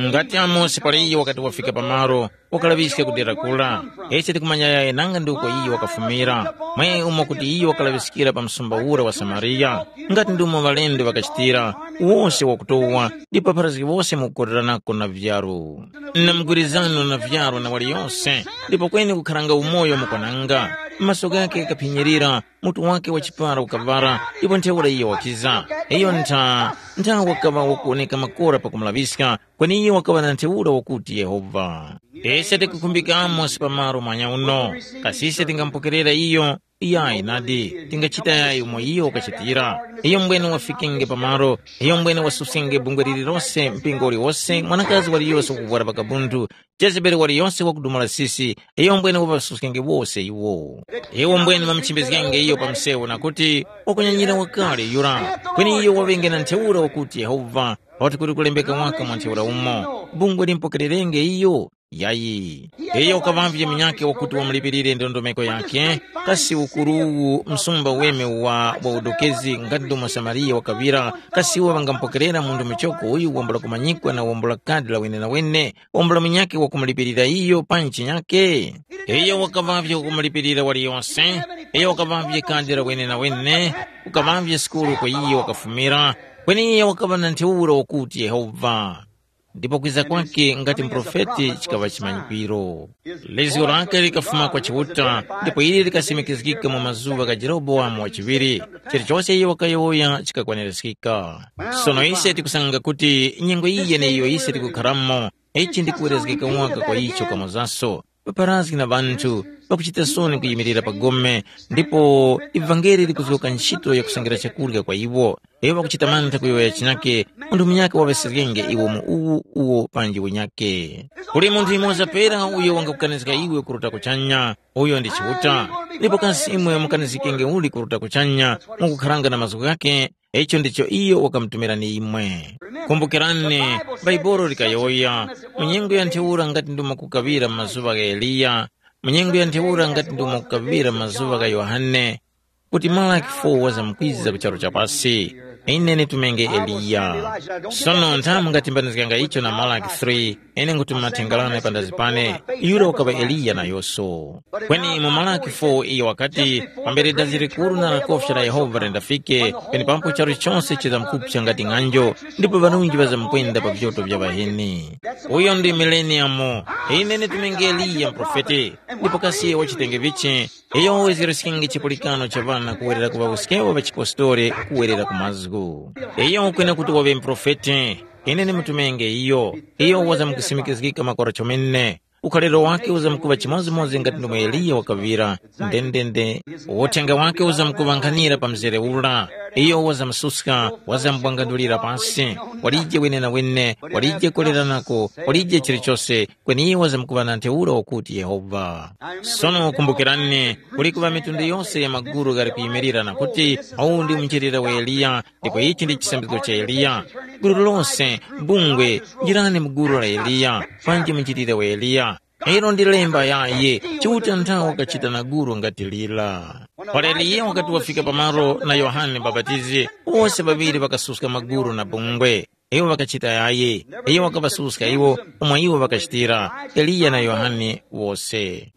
Ngati Amosi pali iyo wakati wafika pamalo, wakalaŵiska ku dera kura. Ise tikumanya yaye nanga ndi uko iyo wakafumira. Mwe umo kuti iyo wakalaŵiskira pa msumba ura wa Samariya, ngati ndi umo ŵalendo ŵakachitira, wose wakutowa, ndipo pharazgi wose mukukoreranako na vyaru. Na mgwirizano na vyaru na waliyose, ndipo kweni kukharanga umoyo mukwananga. Maso ghakhe ghakaphinyirira, mutu wake wa chipara ukaŵara, ndipo ntheura iyo wakiza. Iyo ntha, ntha wakaŵa wakuwoneka makora pakumulaŵiska, kweni iyo wakaŵa na ntheura wakuti Yehova. Ise tikukhumbika Amosi pa malo mwanya uno, kasi ise tingamupokerera iyo? Iyayi nadi, tingachita yayi umo iyo wakachitira. Iyo mbwene wafikenge pa malo, iyo mbwene wasuskenge bungwe lililose, mpingo uliwose, mwanakazi waliyose wakuvwara pakabunthu, Jezebeli waliyose wakudumula sisi, iyo mbwene wavasuskenge wose iwo. Iwo mbwene ŵamuchimbizgenge iyo pa msewu na kuti, wakunyanyira wakale yura, kweni iyo waŵenge na ntheura wakuti Yehova, pakuti kuli kulembeka waka mwa ntheura umo, bungwe limpokererenge iyo. Yayi. Iyo ukaŵavye munyakhe wakuti wamulipirire ndondomeko yakhe, kasi ukuru uwu msumba weme wa, wa udokezi ngati ndomo Samariya wakaŵira, kasi iwo ŵangamupokerera munthu muchoko uyu wambula kumanyikwa na wambula kadi la wenenawene, wambula munyakhe wakumulipirira iyo pa nchi nyakhe? Iyo wakaŵavye wakumulipirira waliyose, iyo wakaŵavye kadi la wenenawene, ukaŵavye sukulu kwa iyo wakafumira, kweni iyo wakaŵa na ntheura wakuti Yehova. Ndipo kwiza kwakhe ngati muprofeti chikaŵa chimanyikwiro. Lizgo lake likafuma kwa Chiuta, ndipo ili likasimikizgika mu mazuŵa gha Jerobowamu wachiŵiri. Chilichose iyo wakayowoya chikakwanirizgika. Sono ise tikusanga kuti nyengo iyi yeneyo ise tikukharamo, ichi ndi kuwerezgeka waka kwa icho kamozaso. Paparazgi na ŵanthu ŵakuchita soni kuyimirira pa gome, ndipo ivangeli likuzgoka ntchito yakusangira chakurya kwa iwo. Iwo ŵakuchita mantha kuyowoya chinake, munthu munyakhe waŵeserenge iwo mu uwu uwo panji unyakhe. Kuli munthu yumoza pera uyo wangakukanizga iwe kuruta kuchanya, uyo ndi Chiuta. Ndipo kasi imwe mukanizgikenge uli kuruta kuchanya, mukukharanga na mazgu ghake? Icho ndicho iyo wakamutumirani imwe. Kumbukirani, Baibolo likayowoya, mu nyengo ya ntheura ngati ndimo kukaŵira mu mazuŵa gha Eliya, mu nyengo ya ntheura ngati ndimo kukaŵira mu mazuŵa gha Yohane, kuti Malaki four wazamkwiza ku charu cha pasi. Ine nitumenge Eliya. Sono nthamu ngatimbanizganga icho na Malaki three, ine nkuti mumathengerano pandazi pane, yura ukaŵa Eliya nayoso. Kweni mu Malaki four iyo wakati, pambere dazi likuru na lakofya la Yehova lindafike, penepapo charu chose chizamkupsa ngati ng'anjo, ndipo ŵanunji ŵazamkwenda pa vyoto vya ŵaheni. Uyo ndi mileniyamu. Ine nitumenge Eliya mprofeti, ndipo kasi wachitenge vichi? Iyo wezgereske chipulikano cha ŵana kuwerera ku ŵawuskewo ŵa chipostori kuwerera ku mazgu. Iyo ukwene kuti waŵe muprofeti. Ine ndimutumenge iyo. Iyo wazamkusimikizgika makora chomene. Ukhaliro wake uzamkuŵa chimodzimodzi ngati ndomwe Eliya wakaŵira. Ndendende. Uthenga wake uzamkuŵankhanira pa mzere ura. Iyo wazamsuska, wazambwangandulira pasi. Walije wenenawene, walije koleranako, walije chilichose, kweni iwo wazamkuŵa na ntheura wakuti Yehova. Sono kumbukirani, kuli kuŵa mitundu yose ya maguru ghali kuyimirira na kuti, uwu ndi munjilira wa Eliya, ndipo ichi ndi chisambizgo cha Eliya. Gulu lose, bungwe, njirani mu gulu la Eliya, panji munjilira wa Eliya. Ilo ndi lemba yaye, Chiuta nthawe wakachita na guru ngati lira. Para Eliya wakati wafika pamalo na Yohane Mubapatizi, wose ŵaŵiri ŵakasuska maguru na bungwe. Iwo ŵakachita yayi, iyo wakaŵasuska iwo umo iwo ŵakachitira, Eliya na Yohane wose.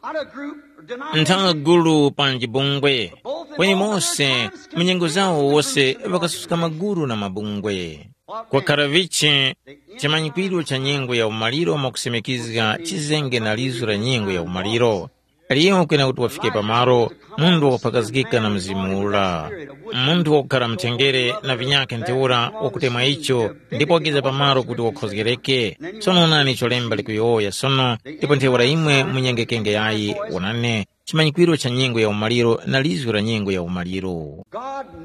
Nthawa gulu panji bungwe, kweni mose mu nyengo zawo wose ŵakasuska maguru na mabungwe. Kwakhara vichi chimanyikwiro cha nyengo ya umaliro mwakusemekizga chizenge na lizo la nyengo ya umaliro. Aliyeyo kwena kuti wafike pamaro, munthu wakuphakazgika na mzimu ura. Munthu wakukhara mthengere na vinyakhe ntheura wakutemwa icho ndipo wakiza pamaro kuti wakhozgereke. Sono onani icho lemba likuyowoya sono, ndipo ntheura imwe munyengekenge yayi, wonani, chimanyikwiro cha nyengo ya umaliro na lizgu la nyengo ya umaliro.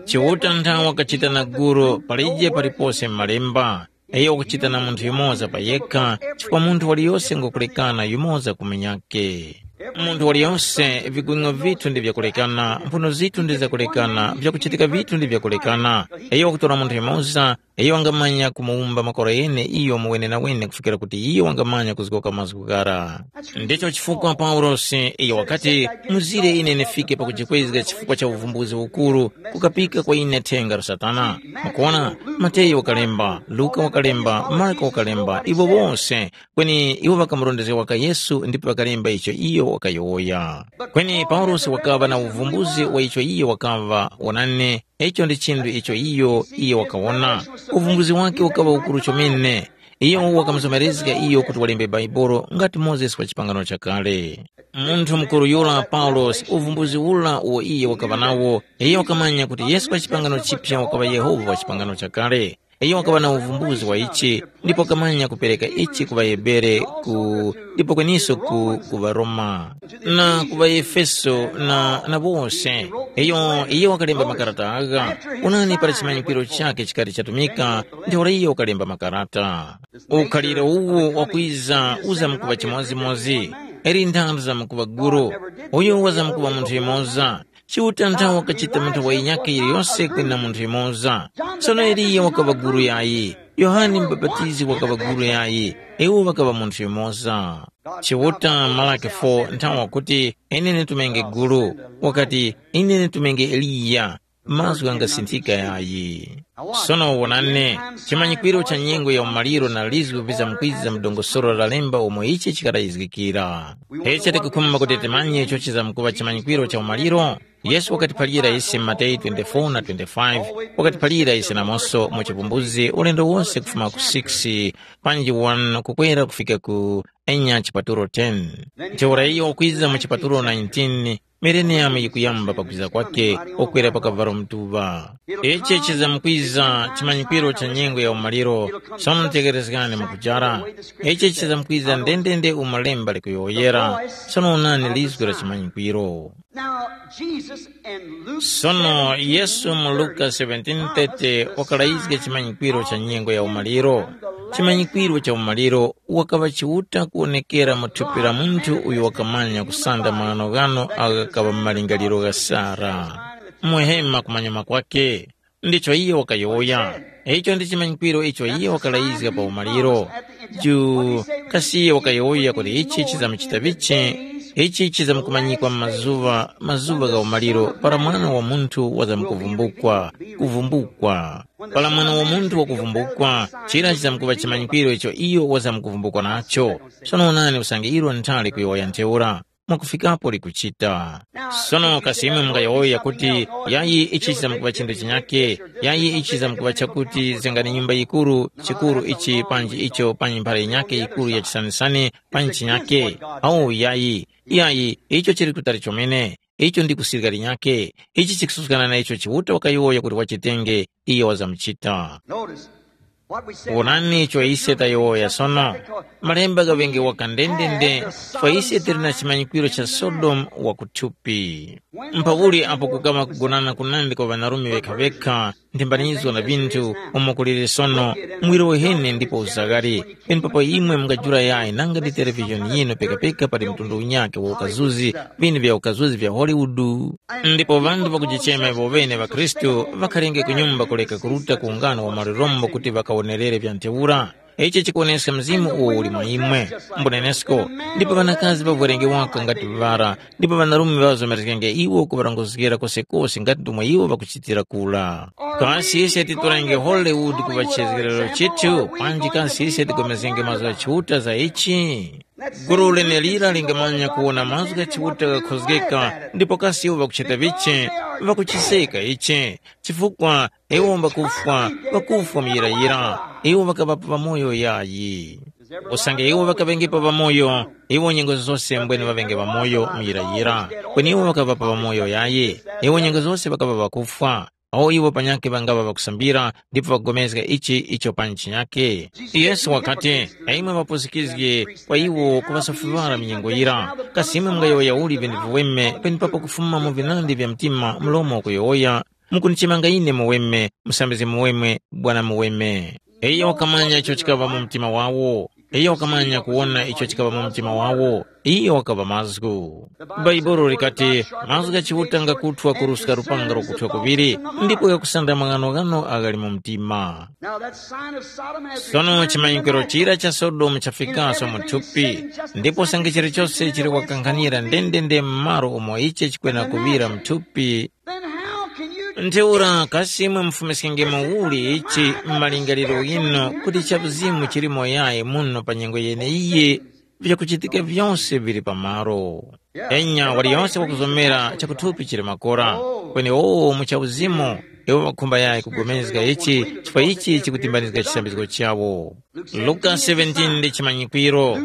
Chiuta nthawe wakachita na guru palije palipose m'malemba, iyo wakuchita na munthu yumoza pa yekha, chifukwa munthu waliyose ngwakulekana yumoza ku munyakhe. Munthu waliyose vigwing'o vithu ndi vyakulekana, mphuno zithu ndi zakulekana, vyakuchitika vithu ndi vyakulekana. Iyo wakutora munthu yumoza, iyo wangamanya kumuwumba makora ghene iyo mu wenenawene kufikira kuti iyo wangamanya kuzgoka mazgu ghara. Ndicho chifukwa Paulosi iyo wakati, muzire ine nifike pakujikwezga chifukwa cha uvumbuzi ukuru, kukapika kwa ine thenga la Satana. Mukuona, Mateyu wakalemba, Luka wakalemba, Marko wakalemba, iwo wose, kweni iwo ŵakamurondezga waka Yesu ndipo ŵakalemba icho iyo wakayowoya. Kweni Paulosi wakaŵa na uvumbuzi wa icho iyo wakaŵa, wonani, icho ndi chinthu icho iyo iyo wakawona. Uvumbuzi wake ukaŵa ukuru chomene. Iyo wakamuzomerezga iyo kuti walembe Bhaibuli ngati Mozesi wa chipangano chakale. Munthu mukuru yura Paulosi, uvumbuzi ura uwo iye wakaŵa nawo, iyo wakamanya kuti Yesu wa chipangano chiphya wakaŵa Yehova wa chipangano chakale. Iyo wakaŵa na uvumbuzi wa ichi, ndipo wakamanya kupereka ichi ku ŵaHebere ku ndipo kweniso ku, ku ŵaRoma, na ku ŵaEfeso na, na bose. Iyo, iyo wakalemba makarata agha. Unani para chimanyikwiro chake chikati chatumika, ntheura iyo wakalemba makarata. Ukhaliro uwu wakwiza uzamkuŵa chimodzimodzi, eri nthanda zamkuŵa guru, uyu wazamkuŵa munthu yumoza. Chiuta nthawe wakachita munthu wa yinyakhe yiliyose kwina munthu yumoza. Sono Eliya wakaŵa guru yayi, Yohane Mubapatizi wakaŵa guru yayi, iwo ŵakaŵa munthu yumoza. Chiuta Malaki four nthawe wakuti, ine nitumenge guru, wakati, ine nitumenge Eliya, mazgu angasinthika yayi. Sono wonani, chimanyikwiro cha nyengo ya umaliro na lizgu vizamkwiza mu dongosolo la lemba umo ichi chikarayizgikira. Ichi tikukhumba kuti timanye icho chizamkuŵa chimanyikwiro cha umaliro. Yesu wakatiphalira ise mu Mateyu twenty-four na twenty-five, wakatiphalira ise namonso mu chipumbuzi ulendo wose kufuma ku six panji one kukwera kufika ku enya chipatulo ten. Ntheura iyo wakwiza mu chipatulo nineteen, mileniyamu yikuyamba pakwiza kwake, ukwera pa kavalo mtuŵa. Ichi chizamkwiza chimanyikwiro cha nyengo ya umaliro, sono tekerezgani mukujara. Ichi chizamkwiza ndendende umo lemba likuyowoyera, sono onani lizgu la chimanyikwiro. Now, Jesus in Luke Sono Yesu mu Luka seventeen thirty wakalayizga chimanyikwiro cha nyengo ya umaliro. Chimanyikwiro cha umaliro wakaŵa chiuta kuwonekera mu thupi la munthu uyo wakamanya kusanda maghanoghano agho ghakaŵa mu malingaliro gha Sara. Muhema kumanyuma kwake. Ndicho iye wakayowoya. Icho ndi chimanyikwiro icho iye wakalayizga pa umaliro. Ju, kasi iye wakayowoya kuti ichi chizamuchita vichi? Ichi chizamkumanyikwa mu mazuŵa, mazuŵa gha umaliro, para mwana wa munthu wazamkuvumbukwa, kuvumbukwa. Para mwana wa munthu wakuvumbukwa, chira chizamkuŵa chimanyikwiro icho iyo wazamkuvumbukwa nacho. Sono onani usange ilo nthali kuyowoya ntheura. Mwakufikapo likuchita. Sono kasi imwe mungayowoya kuti, yayi ichi chizamkuŵa chinthu chinyake, yayi ichi chizamkuŵa chakuti zengani nyumba yikuru, chikuru ichi panji icho panyi mphara yinyake yikuru ya chisanisani panyi chinyake, awu yayi, yayi icho chili kutali chomene, icho ndi kusirika linyake, ichi chikususkana na icho Chiuta wakayowoya kuti wachitenge, iyo wazamuchita. Notice, what we said Wonani icho ise tayowoya sono. Malemba ghaŵenge waka ndendende, chifukwa ise tili na chimanyikwiro cha Sodomu wakuthupi. Mpawuli apo kukaŵa kugonana kunandi kwa ŵanarume ŵekha-ŵekha, nthimbanizgo na vinthu umo kuliri sono, mwiro uhene ndipo uzaghali, penepapo imwe mungajula yayi nanga ndi televishoni yinu pekapeka pali mtundu unyakhe wa ukazuzi, vinu vya ukazuzi vya Hollywood. Ndipo ŵanthu ŵakujichema iwo ŵene ŵakhristu ŵakhalenge ku nyumba kuleka kuruta ku ungano wa malirombo kuti ŵakawonerere vya ntheura. Ichi chikuwoneska mzimu uwo uli mwa imwe. Mbunenesko, ndipo ŵanakazi ŵavwerenge waka ngati ŵara, ndipo ŵanarume ŵazomereskenge iwo kuŵarongozgera kosekose ngati ndomwe iwo ŵakuchitira kula. Kasi ise titorenge Hollywood kuŵa chizgerero chithu, panji kasi ise tigomezgenge mazgu gha Chiuta za ichi? Gulu lenelira lingamanya kuwona mazgu gha Chiuta ghakhozgeka, ndipo kasi iwo ŵakuchita vichi, ŵakuchiseka ichi, chifukwa iwo mbakufwa, ŵakufwa muyirayira, iwo ŵakaŵapo ŵamoyo yayi. Usange iwo ŵakaŵengepo ŵamoyo, iwo nyengo zose mbwene ŵaŵenge ŵamoyo muyirayira, kweni iwo ŵakaŵapo ŵamoyo yayi, iwo nyengo zose ŵakaŵa ŵakufwa. Awo iwo panyakhe ŵangaŵa ŵakusambira ndipo ŵakupulikana ichi icho pa ntchi yake. Yesu wakati, na imwe ŵapusikizgi kwa iwo kuŵasoferwara minyengo yira, kasi imwe mungayowoya uli vinthu viweme penepapo kufuma mu vinandi vya mtima mlomo wakuyowoya, mukundichemanga ine muweme, musambizgi muweme, bwana muweme. Iyo wakamanya icho chikaŵa mu mtima wawo. Iyo wakamanya kuwona icho chikaŵa mu mtima wawo. Iyo wakaŵa mazgu. Bhaibuli likati, mazgu gha Chiuta ngakuthwa kuruska lupanga lokuthwa kuŵiri, ndipo ghakusanda maghanoghano aghali mu mtima. Now that sign of Sodom has Sono returned to the chimanyikiro natural. Chira cha Sodomu chafikaso mu thupi, ndipo sange chilichose chili wakankhanira ndendende m'malo umo ichi chikwena kuŵira mu thupi. Then how can you Ntheura kasi imwe mufumiskenge muli ichi m'malingaliro ghinu kuti cha uzimu chilimo yayi muno pa nyengo yeneiyi, vyakuchitika vyose vili pamalo. Enya waliyonse wakuzomera chakuthupi chili makora, kweni wowo mu cha uzimu, iwo ŵakhumba yayi kugomezga ichi chifukwa ichi chikutimbanizga chisambizgo chawo. Luka seventeen ndi chimanyikwiro.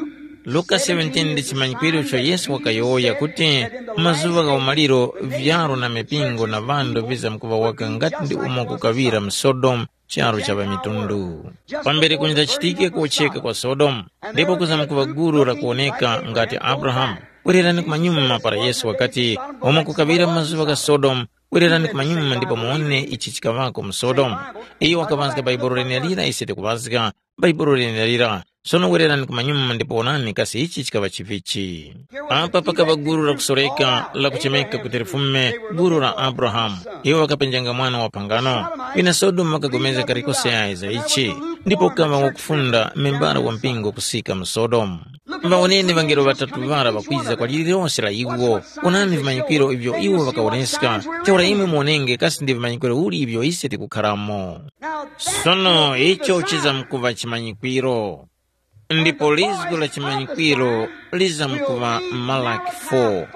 Luka seventeen ndi chimanyikwiro icho Yesu wakayowoya kuti, mazuŵa gha umaliro vyaro na mipingo na ŵandu vizamkuŵa waka ngati ndi umo kukaŵira mu Sodomu, charu cha ŵamitundu. Pambere kunjachitike kucheka kwa Sodomu, ndipo kuzamkuŵa gulu lakuwoneka ngati Abrahamu. Wererani kumanyuma para Yesu wakati, umo kukaŵira mu mazuŵa gha Sodomu, wererani kumanyuma ndipo muwone ichi chikaŵako mu Sodomu. Iyo wakaŵazga Bhaibuli lenelira ise tikuŵazga, Bhaibuli lenelira. Sono wererani kumanyuma ndipo wonani kasi ichi chikaŵa chivichi. Apa pakaŵa gulu lakusoreka lakuchemeka kuti lifume gulu la Abrahamu. Iwo ŵakapenjanga mwana wa phangano. Wina Sodomu ŵakagomeza kalikose yayi za ichi, ndipo ukaŵa wakufunda membala wa mpingo kusika mu Sodomu. Ŵawoneni ŵangelo ŵatatu ŵara ŵakwiza kwa lililose la iwo. Wonani vimanyikwiro ivyo iwo ŵakawoneska. Ntheura imwe muwonenge kasi ndi vimanyikwiro uli ivyo ise tikukharamo. Sono icho chizamkuŵa chimanyikwiro. Ndipo lizgu la chimanyikwiro lizamkuŵa Malaki four,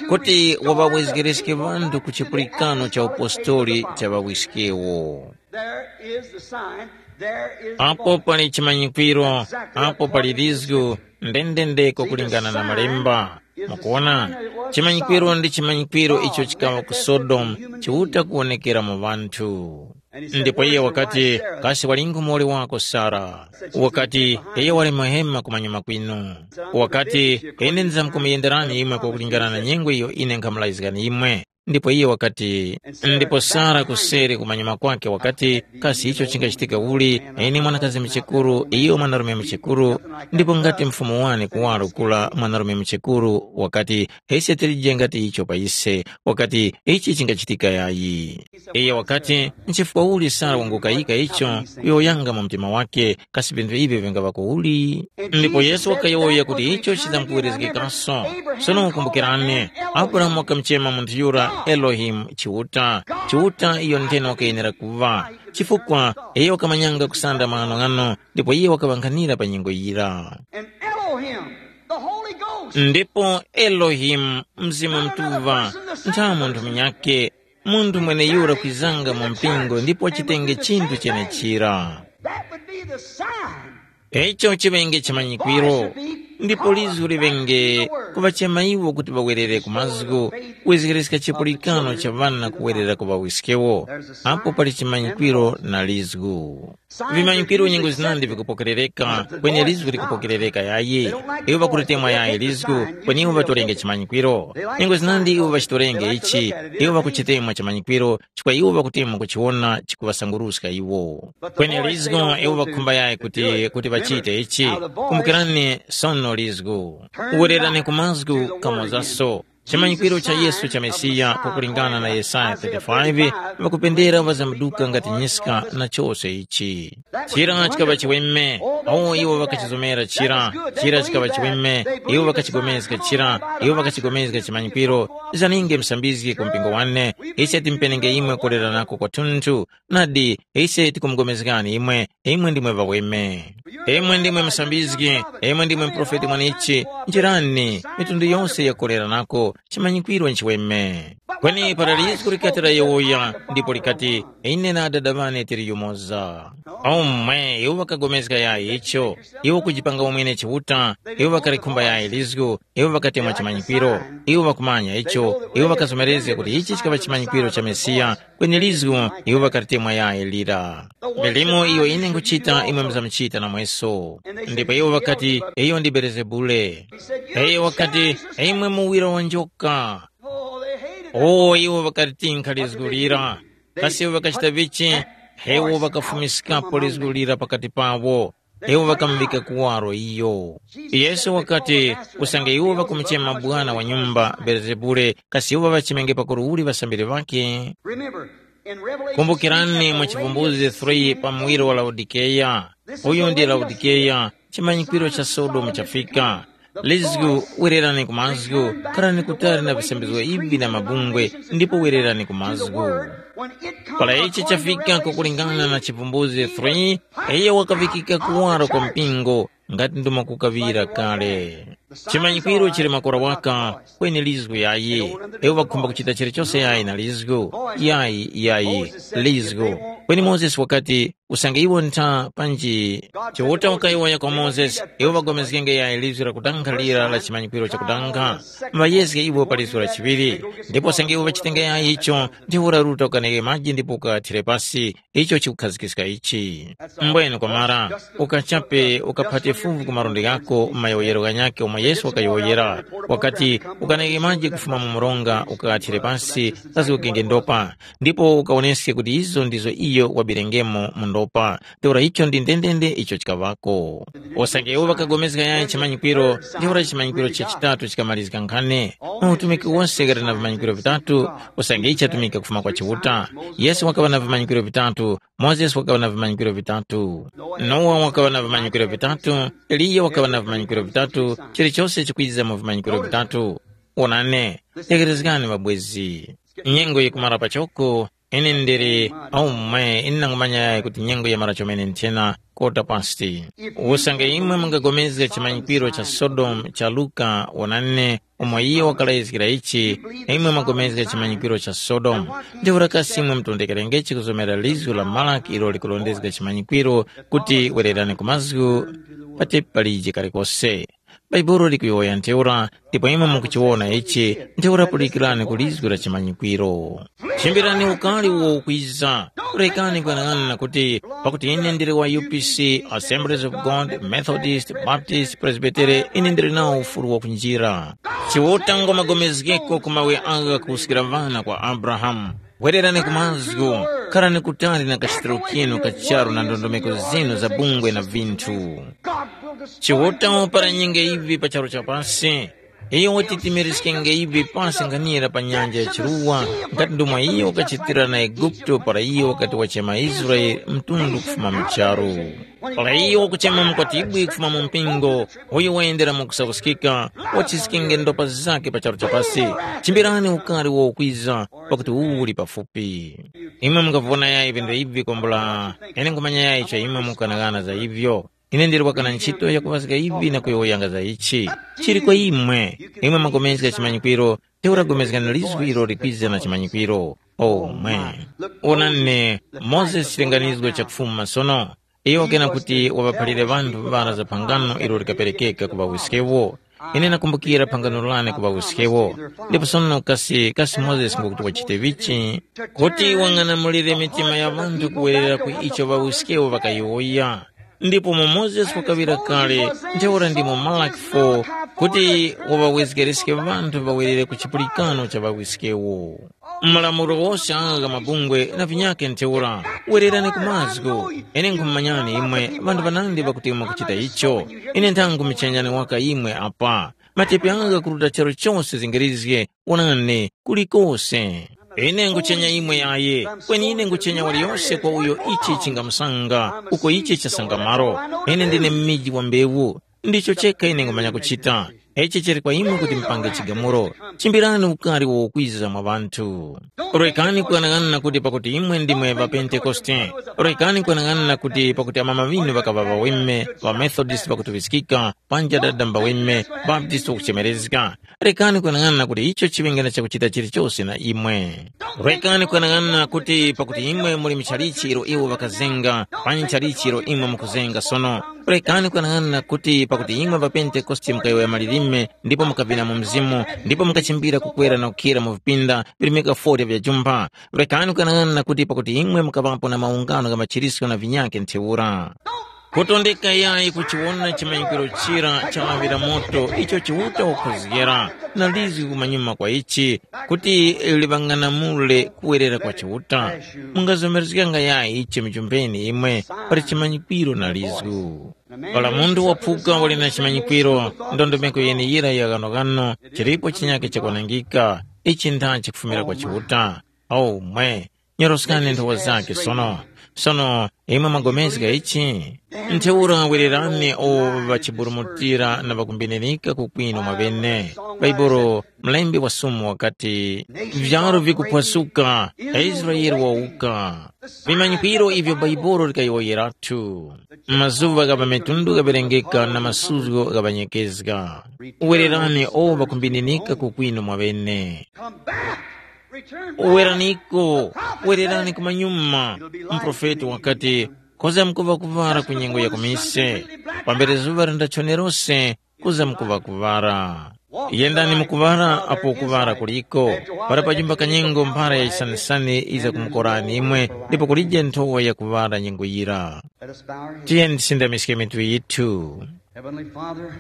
kuti waŵawezgereske ŵanthu ku chipulikano cha upostori cha ŵawiskewo. There is the sign. There is the Apo pali chimanyikwiro, apo pali lizgu, ndendendeko kulingana na malemba. Mukuona, chimanyikwiro ndi chimanyikwiro icho chikawa ku Sodomu chiuta kuwonekera mu ŵanthu. Ndipo iye wakati, "Kasi walingu muwoli wako Sara?" Wakati, "Iyo wali muhema kumanyuma kwinu." Wakati, "Ine ndizamkumuyenderani imwe kwakulingana na nyengo iyo ine nkhamulazgani imwe." Ndipo iye wakati, ndipo Sara kuseri kumanyuma kwake wakati, "Kasi icho chingachitika uli, ine mwanakazi muchekuru, iyo mwanarume muchekuru?" Ndipo ngati mfumu wane kuwaro kula mwanarume muchekuru wakati, "Ise tilije ngati icho pa ise," wakati, "Ichi chingachitika yayi." Iye wakati, "Nchifukwa uli Sara wangukayika icho kuyowoyanga mu mtima wake, kasi vinthu ivi vingaŵako uli?" Ndipo Yesu wakayowoya kuti icho chizamkuwerezgekanso. Sono kumbukirani, Abrahamu wakamuchema munthu yura Elohimu Chiuta, Chiuta iyo ntheno wakayenera kuŵa, chifukwa iyo wakamanyanga kusanda maghanoghano ndipo iye wakaŵankhanira pa nyengo yira. And Elohim, the Holy Ghost, ndipo Elohimu, Mzimu Mutuŵa, ntha munthu munyakhe, munthu mweneyura kwizanga mu mpingo ndipo wachitenge chinthu chenechira. That would be the sign. Icho chiŵenge chimanyikwiro, ndipo lizu liŵenge kuŵachema iwo kuti ŵawerere ku mazgu, kuzgiriska chipulikano cha ŵana kuwerera ku ŵawiskewo. Apo pali chimanyikwiro na lizgu. Vimanyikwiro nyengo zinandi vikupokerereka, kweni lizgu likupokerereka yayi. Iwo ŵakulitemwa yayi lizgu, kweni iwo ŵatorenge chimanyikwiro. Nyengo zinandi iwo ŵachitorenge ichi, iwo ŵakuchitemwa chimanyikwiro, chifukwa iwo ŵakutemwa kuchiwona chikuŵasanguruska iwo. Kweni lizgu iwo ŵakhumba yayi kuti, kuti ŵachite ichi. Kumbukirani sono lizgu. Wererani ku mazgu kamozaso. Chimanyikwiro cha Yesu cha Mesiya kwakulingana na Yesaya thirty-five, ŵakupendera ŵazamduka ngati nyiska na chose ichi. Chira chikaŵa chiweme, awo iwo ŵakachizomera chira, chira chikaŵa chiweme, iwo ŵakachigomezga chira, iwo ŵakachigomezga chimanyikwiro. Zaninge musambizgi ku mpingo wane, ise timpenenge imwe kuleranako kwathunthu, nadi, ise tikumugomezgani imwe, imwe ndimwe ŵaweme. Imwe ndimwe musambizgi, imwe ndimwe muprofeti mwanichi, njirani, mitundu yose yakuleranako, chimanyikwiro nchiweme. Kweni para lizgu likati layowoya, ndipo likati, ine na adada ŵane tili yumoza. Omwe, iwo ŵakagomezga yayi icho, iwo kujipanga umwene Chiuta, iwo ŵakalikhumba yayi lizgu, iwo ŵakatemwa chimanyikwiro, iwo ŵakumanya icho, iwo ŵakazomerezga kuti ichi chikaŵa chimanyikwiro cha Mesiya, kweni lizgu iwo ŵakalitemwa yayi lira. Milimo iyo ine nguchita imwe muzamuchita namweso. Ndipo iwo ŵakati, iyo ndi Belezebule. Iyo wakati, imwe muwira wa njoka. Oh, they hated that. O iwo ŵakatinkha lizgu lira. Kasi iwo ŵakachita vichi? Iwo ŵakafumiskapo lizgu lira pakati pawo. Iwo ŵakamuŵika kuwaro iyo. Yesu wakati, usange iwo ŵakumuchema bwana wa nyumba Belezebule, kasi iwo ŵachimenge pakuru uli ŵasambiri ŵakhe? Remember, in Revelation Kumbukirani mu Chivumbuzi three pa muwiro wa Laodikeya. Uyu ndi Laodikeya, chimanyikwiro cha Sodomu chafika. Lizgu, wererani ku mazgu, kharani kutali na visambizgo ivi na mabungwe, ndipo wererani ku mazgu. Para ichi chafika kukulingana na Chivumbuzi three, iyo wakavikika kuwaro kwa mpingo, ngati ndimo kukaŵira kale. Chimanyikwiro chili makora waka, kweni lizgu yayi. Iwo ŵakhumba kuchita chilichose yayi na lizgu, yayi, yayi, lizgu. Kweni Mozesi wakati, usange iwo ntha panji? Chiuta wakayowoya kwa Mozesi, iwo ŵagomezgenge yayi lizgu lakutankha lira la chimanyikwiro chakutankha. Mbayezge iwo pa lizgu la chiŵiri, ndipo usange iwo ŵachitenge yayi icho, ndiwo uraruta ukaneke maji ndipo ukathire pasi, icho chikukhazikiska ichi. Mbwene kwamara, ukachape ukaphate fuvu ku maronda ghako mu mayowoyero ghanyakhe omwe Yesu wakayowoyera, wakati, ukaneke maji kufuma mu mronga ukathire pasi, kazgokenge ndopa, ndipo ukawoneske kuti izo ndizo iyo wabirengemo mu ndopa. Ntheura icho ndi ndendende icho chikaŵako. Usange iwo ŵakagomezga yayi chimanyikwiro, ntheura chimanyikwiro cha chitatu chikamalizika nkhane. Mu utumiki wose ghali na vimanyikwiro vitatu, usange ichi chatumika kufuma kwa Chiuta. Yesu wakaŵa na vimanyikwiro vitatu, Mozesi wakaŵa na vimanyikwiro vitatu, Nowa wakaŵa na vimanyikwiro vitatu, Eliya wakaŵa na vimanyikwiro vitatu, chilichose chikwiza mu vimanyikwiro vitatu. Onani, tegherezgani mabwezi. Nyengo yikumara pachoko, ine ndili aumwe, ine nangumanya yayi kuti nyengo yamara chomene nthena kota pasti. Usange imwe mungapulikana chimanyikwiro cha Sodomu cha Luka, onani, umo iyo wakalayizgira ichi, imwe mwapulikana chimanyikwiro cha Sodomu. Ntheura kasi imwe mutondekerengechi kuzomera lizgu la Malaki ilo likurondezga chimanyikwiro kuti wererani ku mazgu patepi palije kalikose? Bhaibuli likuyowoya ntheura, ndipo imwe mukuchiwona ichi, ntheura pulikirani ku lizgu la chimanyikwiro. Chimbirani ukali uwo ukwiza, rekani kuyang'ana kuti, pakuti ine ndili wa U P C, Assemblies of God, Methodist, Baptist, Presbytery, ine ndili nawo ufulu wa kunjira. Chiuta ngomagomezgeko ku mawe agha kuwuskira vana kwa Abrahamu. Wererani ku mazgu, kharani kutali na kachitiro kinu ka charu na ndondomeko zinu za bungwe na vinthu. Chiuta wapara nyinga ivi pa charu cha pasi. Iyo watitimiriskenge ivi pasi nganira pa nyanja ya chiruwa, ngati ndomwe iyo wakachitira na Eguputo para iyo wakati wachema Israele mtundu kufuma mu charu. Para iyo wakuchema mukwatibwi kufuma mu mpingo, uyo wayendera mu kusakuskika, wachiskenge ndopa zake pa charu cha pasi. Chimbirani ukari wokwiza, pakuti uwu uli pafupi. Imwe mungavona yayi vindu ivi kwambula, ine nkhumanya yayi icho imwe mukughanaghana za ivyo. Ine ndili wakana ntchito yakuŵazga ivi na kuyowoyanga za ichi. Chili kwa imwe, imwe mwapulikana chimanyikwiro, ntheura pulikana lizgu ilo likwiza na chimanyikwiro. Omwe. Onani, Mozesi chilinganizgo cha kufuma sono. Iyo kena kuti waŵaphalire ŵanthu ŵara za phangano ilo likaperekeka ku ŵawiskewo. Ine nakumbukira phangano lane ku ŵawiskewo. Ndipo sono kasi, kasi Mozesi ngukuti wachite vichi? Kuti wang'anamulire mitima ya ŵanthu kuwerera ku icho ŵawiskewo ŵakayowoya. Ndipo mu Mozesi wakaŵira kale, ntheura ndimo Malaki four, kuti waŵawezgereske ŵanthu ŵawerere ku chipulikano cha ŵawiskewo. Malamulo wose agha mabungwe na vinyakhe ntheura, wererani ku mazgu. Ine nkhumumanyani imwe, ŵanthu ŵanandi ŵakuti mwakuchita icho. Ine nthangu michenjani waka imwe apa. Matepi agha kuruta charu chose zingirizge, wonani, kulikose. Ine nguchenya imwe yaye, kweni ine nguchenya waliyose kwa uyo ichi chingamusanga, uko ichi chasanga malo. Ine ndine mmiji wa mbewu, ndicho chekha ine ngumanya kuchita. Ichi chili kwa imwe kuti mupange chigamulo. Chimbirani ukari wokwiza mwa ŵanthu. Rekani kuyang'ana kuti pakuti imwe ndimwe ŵa Pentekoste. Rekani kuyang'ana kuti pakuti amama ŵinu ŵakaŵa ŵaweme, ŵa Methodist ŵakutuŵiskika, panja dada mbaweme, Baptist wakuchemerezga. Rekani kuyang'ana kuti icho chiŵenge na chakuchita chilichose na imwe. Rekani kuyang'ana kuti pakuti imwe muli mchalichi ilo iwo ŵakazenga, panyi chalichi ilo imwe mukuzenga sono. Rekani kuyang'ana kuti pakuti imwe ŵaPentekoste mukayowoya malilime, ndipo mukavina mu mzimu, ndipo mukachimbira kukwera na kukhira mu vipinda virimika forty vya jumpha. Rekani kuyang'ana kuti pakuti imwe mukaŵapo na maungano gha machirisko na vinyakhe ntheura. Kutondeka yayi kuchiwona chimanyikwiro chira chaŵira moto icho Chiuta wakhozgera, na lizgi kumanyuma kwa ichi, kuti liŵang'anamule kuwerera kwa Chiuta. Mungazomerezganga yayi ichi mujumbeni imwe pali chimanyikwiro na lizgu. Para munthu waphuka wali na chimanyikwiro, ndondomeko yeneyira ya ghanoghano, chilipo chinyakhe chakwanangika, ichi ntha chikufumira kwa Chiuta. Aumwe, nyoroskani nthowa zake sono. Sono, imwe mwagomezga ichi? Ntheura wererani o ŵachiburumutira na ŵakumbininika kukwino mwaŵene. Bhaibuli, mlembi wa Sumu wakati, vyaro vikuphwasuka, Israele wawuka. Vimanyikwiro ivyo Bhaibuli likayowoyerathu. Mazuŵa gha pa mitundu ghaŵerengeka na masuzgo ghaŵanyekezga. Wererani o ŵakumbininika kukwino mwaŵene. Come back. Return back. Weraniko, wererani kumanyuma. Muprofeti wakati, koza mkuŵa kuŵara ku nyengo ya kumise, pambere zuŵa lindachonerose, kuza mkuŵa kuŵara. Yendani mukuŵara apo kuŵara kuliko, para pajumba kanyengo mphara ya chisanisani yiza kumukorani imwe, ndipo kulije nthowa ya kuŵara nyengo yira. Let us bow our heads. Tiyeni tisindamiske mitu yithu. Heavenly Father,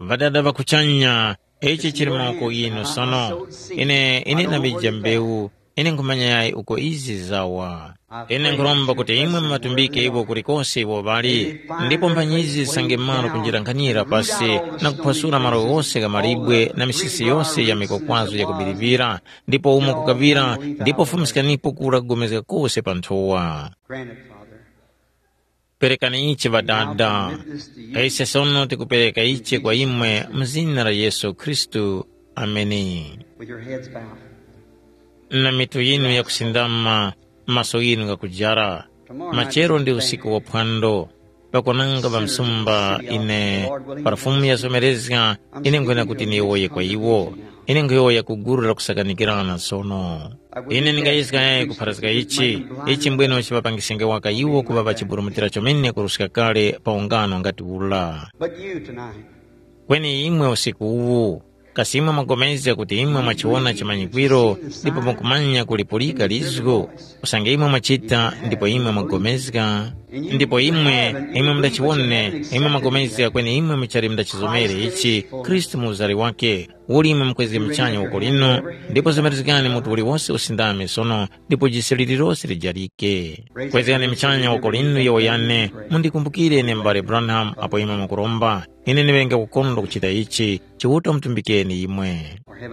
Ŵadada ŵa kuchanya, ichi chili mawoko ghinu sono. Ine, ine namija mbewu, ine nkhumanya yayi uko izi zawa. Ine nkhuromba kuti imwe mumatumbike iwo kulikose iwo ŵali, ndipo mphanyizi zisange malo kunjirankhanira pasi na kuphwasula malo ghose gha malibwe na misisi yose ya mikwakwazo ya kubiriŵira, ndipo umo kukaŵira, ndipo fumiskanipo kura kugomezga kose pa nthowa. Grant it, Father. Perekani ichi Ŵadada. Ise sono tikupereka ichi kwa imwe mu zina la Yesu Khristu. Ameni. With your heads bowed. Na mitu yinu yakusindama, maso ghinu ghakujara. Machero ndi usiku wa phwando. Pakwananga ŵamsumba ine, para Fumu yazomerezga, ine nkhwena kuti niyowoye kwa iwo. Ine nkhuyowoya ku gulu la kusakanikirana sono. Ine ndingayezga yayi kupharazga ichi, ichi mbwene chiŵapangisenge waka iwo kuŵa ŵachiburumutira chomene kuruska kale pa ungano ngati ula. But you tonight, Kweni imwe usiku uwu, kasi imwe mwapulikana kuti imwe mwachiwona chimanyikwiro ndipo mukumanya kulipulika lizgu? Usange imwe mwachita ndipo imwe mwapulikana, ndipo imwe, imwe mundachiwone, imwe mwapulikana kweni imwe muchali mundachizomere ichi, Khristu mu uzari wakhe, uli imwe mukwezge muchanya woko linu, ndipo zemerezgani mutu uliwose usindame sono, ndipo jise lililose lijarike. Kwezgani muchanya woko linu yowoyane, mundikumbukire ine m'bale Branham apo imwe mukuromba. Ine ndiŵenge kukondwa kuchita ichi, Chiuta mutumbikeni imwe.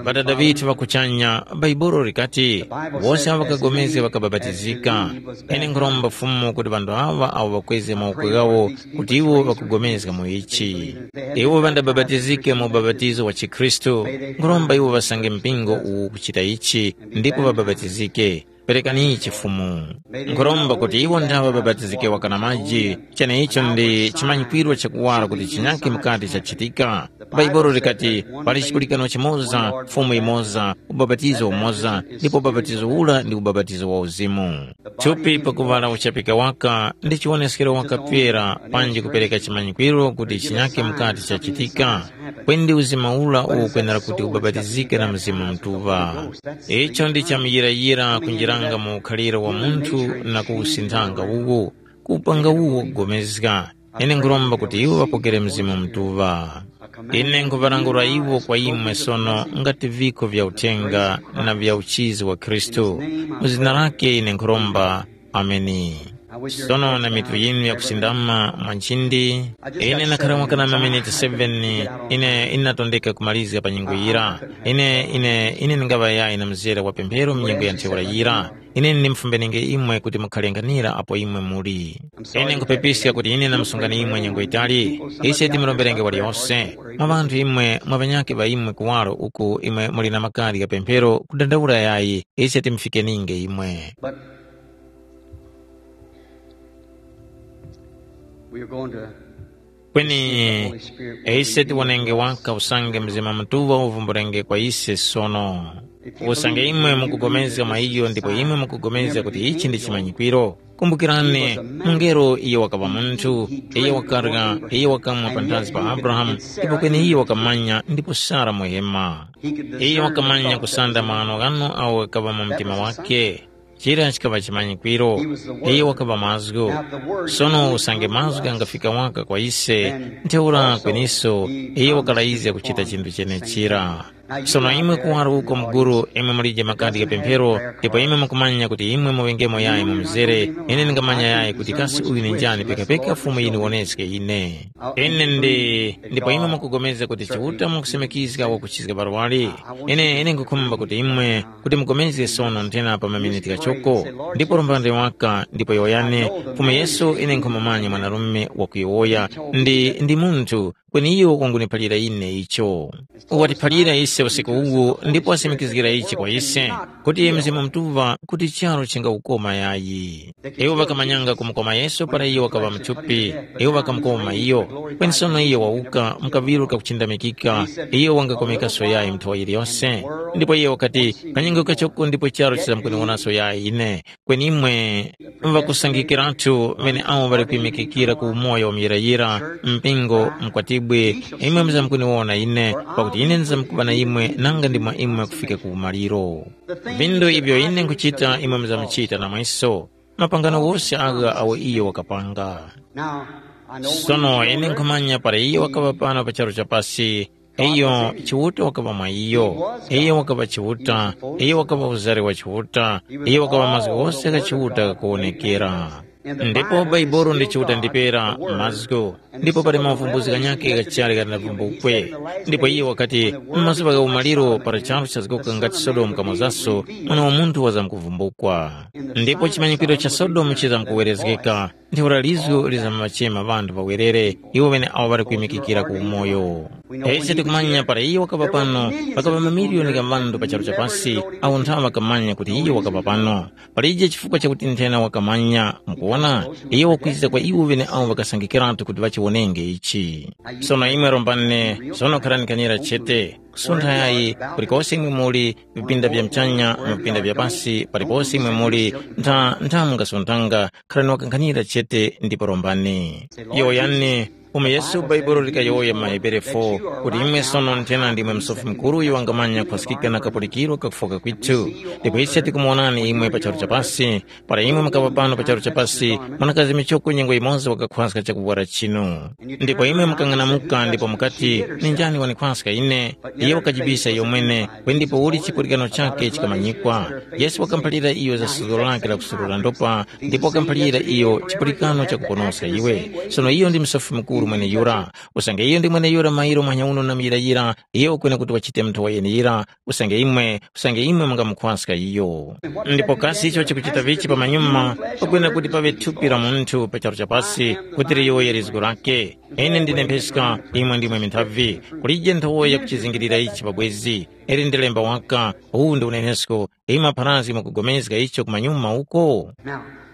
Ŵadada ŵithu ŵa kuchanya, Bhaibuli likati, wose awo ŵakapulikana ŵakabapatizika. Ine nkhuromba Fumu kuti ŵanthu aŵa awo ŵakwezge mawoko ghawo kuti iwo ŵakupulikana mu ichi. Iwo ŵandabapatizike mu ubapatizo wa chikhristu, nkhuromba iwo ŵasange mpingo uwu kuchita ichi ndipo ŵabapatizike. Perekani ichi Fumu. Nkhuromba kuti iwo ndaŵa ŵabapatizike waka na maji, cheneicho ndi chimanyikwiro chakuwara kuti chinyakhe mukati chachitika. Bhaibuli likati, pali chipulikano chimoza, Fumu imoza, ubapatizo umoza, ndipo ubapatizo ura ndi ubapatizo wa uzimu. Thupi pakuŵala uchapika waka ndi chiwoneskero waka pera panji kupereka chimanyikwiro kuti chinyakhe mukati chachitika, kweni ndi uzima ura uwo ukwenera kuti ubapatizike na Mzimu Mutuŵa. Icho ndi chamuyirayira kunjiranga mu ukhaliro wa munthu na kuwusinthanga uwu, kupanga uwo kugomezga. Ine nkhuromba kuti iwo ŵapokere Mzimu Mutuŵa. Ine nkhuŵalangula iwo kwa imwe sono ngati viko vya uthenga na vya uchizi wa Khristu. Mu zina lake ine nkhuromba. Ameni. Sono na mitu yinu yakusindama mwa nchindi, ine nakhara mwaka na maminiti seven, ine inatondeka kumalizga pa nyengo yira. Ine, ine, ine ndingaŵa yayi na mzere wa pemphero mu nyengo ya ntheura yira. Ine ndimufumbenenge imwe kuti mukhale nkhanira apo imwe muli. Ine nkhupepiska kuti ine namusungani imwe nyengo yitali. Ise timuromberenge waliyose. Mwa ŵanthu imwe mwa ŵanyakhe ŵa imwe kuwaro uku imwe muli na makadi gha pemphero kudandaula yayi, ise timufikeninge imwe. We are going to Kweni ise tiwonenge waka usange Mzimu Mutuŵa uvumbulenge kwa ise sono. Usange imwe mukupulikana mwa iyo ndipo imwe mukupulikana kuti ichi ndi chimanyikwiro. Kumbukirani, mungelo iyo wakaŵa munthu, iyo wakarya, iyo wakamwa panthazi pa Abrahamu, ndipo kweni iyo wakamanya ndipo Sara muhema. Iyo wakamanya kusanda maghanoghano awo ghakaŵa mu mtima wakhe. Chira chikaŵa chimanyikwiro, iyo wakaŵa mazgu. Sono usange mazgu angafika waka kwa ise, ntheura kweniso iyo wakalayizga kuchita chinthu chenechira. Sono imwe kuwaro uko muguru imwe mulije makadi gha pemphero, ndipo imwe mukumanya kuti imwe muŵengemo yayi mu mzere, ine ndingamanya yayi kuti kasi uyu ndi njani pekapeka Fumu yiniwoneske ine. Ine ndi, ndipo imwe mukupulikana kuti Chiuta mukusemekizga wakuchizga barwali. Ine, ine nkukhumba kuti imwe kuti mupulikane sono nthena pa maminiti ghachoko, ndipo rombani waka ndipo yowoyani, Fumu Yesu ine nkhumumanya mwanarume wakuyowoya, ndi, ndi munthu, kweni iyo wanguniphalira ine icho. Watiphalira ise usiku uwu ndipo wasimikizgira ichi kwa ise, kuti Mzimu Mutuŵa kuti charu chingawukoma yayi. Iwo ŵakamanyanga kumukoma Yesu para iyo wakaŵa muthupi, iwo ŵakamukoma iyo. Kweni sono iyo wawuka mu kaŵiro kakuchindamikika, iyo wangakomekaso yayi mu thawa yiliyose. Ndipo iyo wakati, kanyengo kachoko ndipo charu chizamkuniwonaso yayi ine. Kweni imwe ŵakusangikiratu ŵeneawo ŵali kwimikikira ku umoyo wa muyirayira, mpingo, mkwatibwi, imwe muzamkuniwona ine, pakuti ine ndizamkuŵa na imwe nanga ndi mwa imwe kufika ku umaliro. Vindu ivyo ine nkhuchita imwe muzamuchita namweso, mapangano ghose agha awo iyo wakapanga. Sono ine nkhumanya para iyo wakaŵa pano pa charu cha pasi, iyo Chiuta wakaŵa mwa iyo, iyo wakaŵa Chiuta, iyo wakaŵa uzari wa Chiuta, iyo wakaŵa mazgu ghose gha Chiuta ghakuwonekera. Ndipo Bhaibuli ndi Chiuta ndipera mazgu, ndipo pali mavumbuzi ghanyakhe ghachali ghanavumbukwe. Ndipo iye wakati, mu mazuŵa gha umaliro para charu chazgoka ngati Sodomu kamozaso, Mwana wa Munthu wazamkuvumbukwa. Ndipo chimanyikwiro cha Sodomu chizamkuwerezgeka, ntheura lizgu lizamachema ŵanthu ŵawerere, iwo ŵeneawo ŵali kwimikikira ku umoyo. Ise tikumanya para iyo wakaŵa pano, pakaŵa mamiliyoni gha ŵanthu pa charu cha pasi, awo nthawe ŵakamanya kuti iyo wakaŵa pano. Palije chifukwa chakuti nthena wakamanya, mukuwona, iyo wakwiza kwa iwo ŵeneawo ŵakasangikiratu kuti ŵachiwonenge ichi. Sono imwe rombani, sono kharani kanira chete, kusuntha yayi, kulikose imwe muli, vipinda vya mchanya, mu vipinda vya pasi, palipose imwe muli, ntha, ntha mungasunthanga, kharani wakanghanira chete ndipo rombani. Yowoyani, Umo Yesu Bhaibuli likayowoya mu maHebere four kuti imwe sono nthena ndimwe Musofi Mukuru uyo wangamanya kukhwaskika na kapulikiro kakufoka kwithu. Ndipo ise tikumuwonani imwe pa charu cha pasi, para imwe mukaŵa pano pa charu cha pasi, mwanakazi michoko nyengo yimoza wakakhwaska chakuvwara chinu. Ndipo imwe mukang'anamuka ndipo mukati, “Ni njani wanikhwaska ine?” Iyo wakajibisa iyo mwene, kweni ndipo uli chipulikano chakhe chikamanyikwa. Yesu wakamuphalira iyo za suzgo lakhe la kusurura ndopa, ndipo wakamuphalira iyo chipulikano chakuponoska iwe. Sono iyo ndi Musofi Mukuru mweneyura. Usange iyo ndi mweneyura mairo muhanya uno na muyirayira, iyo ukwene kuti wachite nthowa yeneyira, usange imwe, usange imwe mungamukhwaska iyo. Ndipo kasi icho chikuchita vichi pamanyuma, pakwene kuti paŵe thupi la munthu pa charu cha pasi, kuti liyowoye lizgu lake? Ine ndine mpheska, imwe ndimwe minthavi. Kulije nthowa yakuchizingirira ichi pabwezi, ili ndi lemba waka, uwu ndi unenesko, imwe apharazgi mukugomezga icho kumanyuma uko?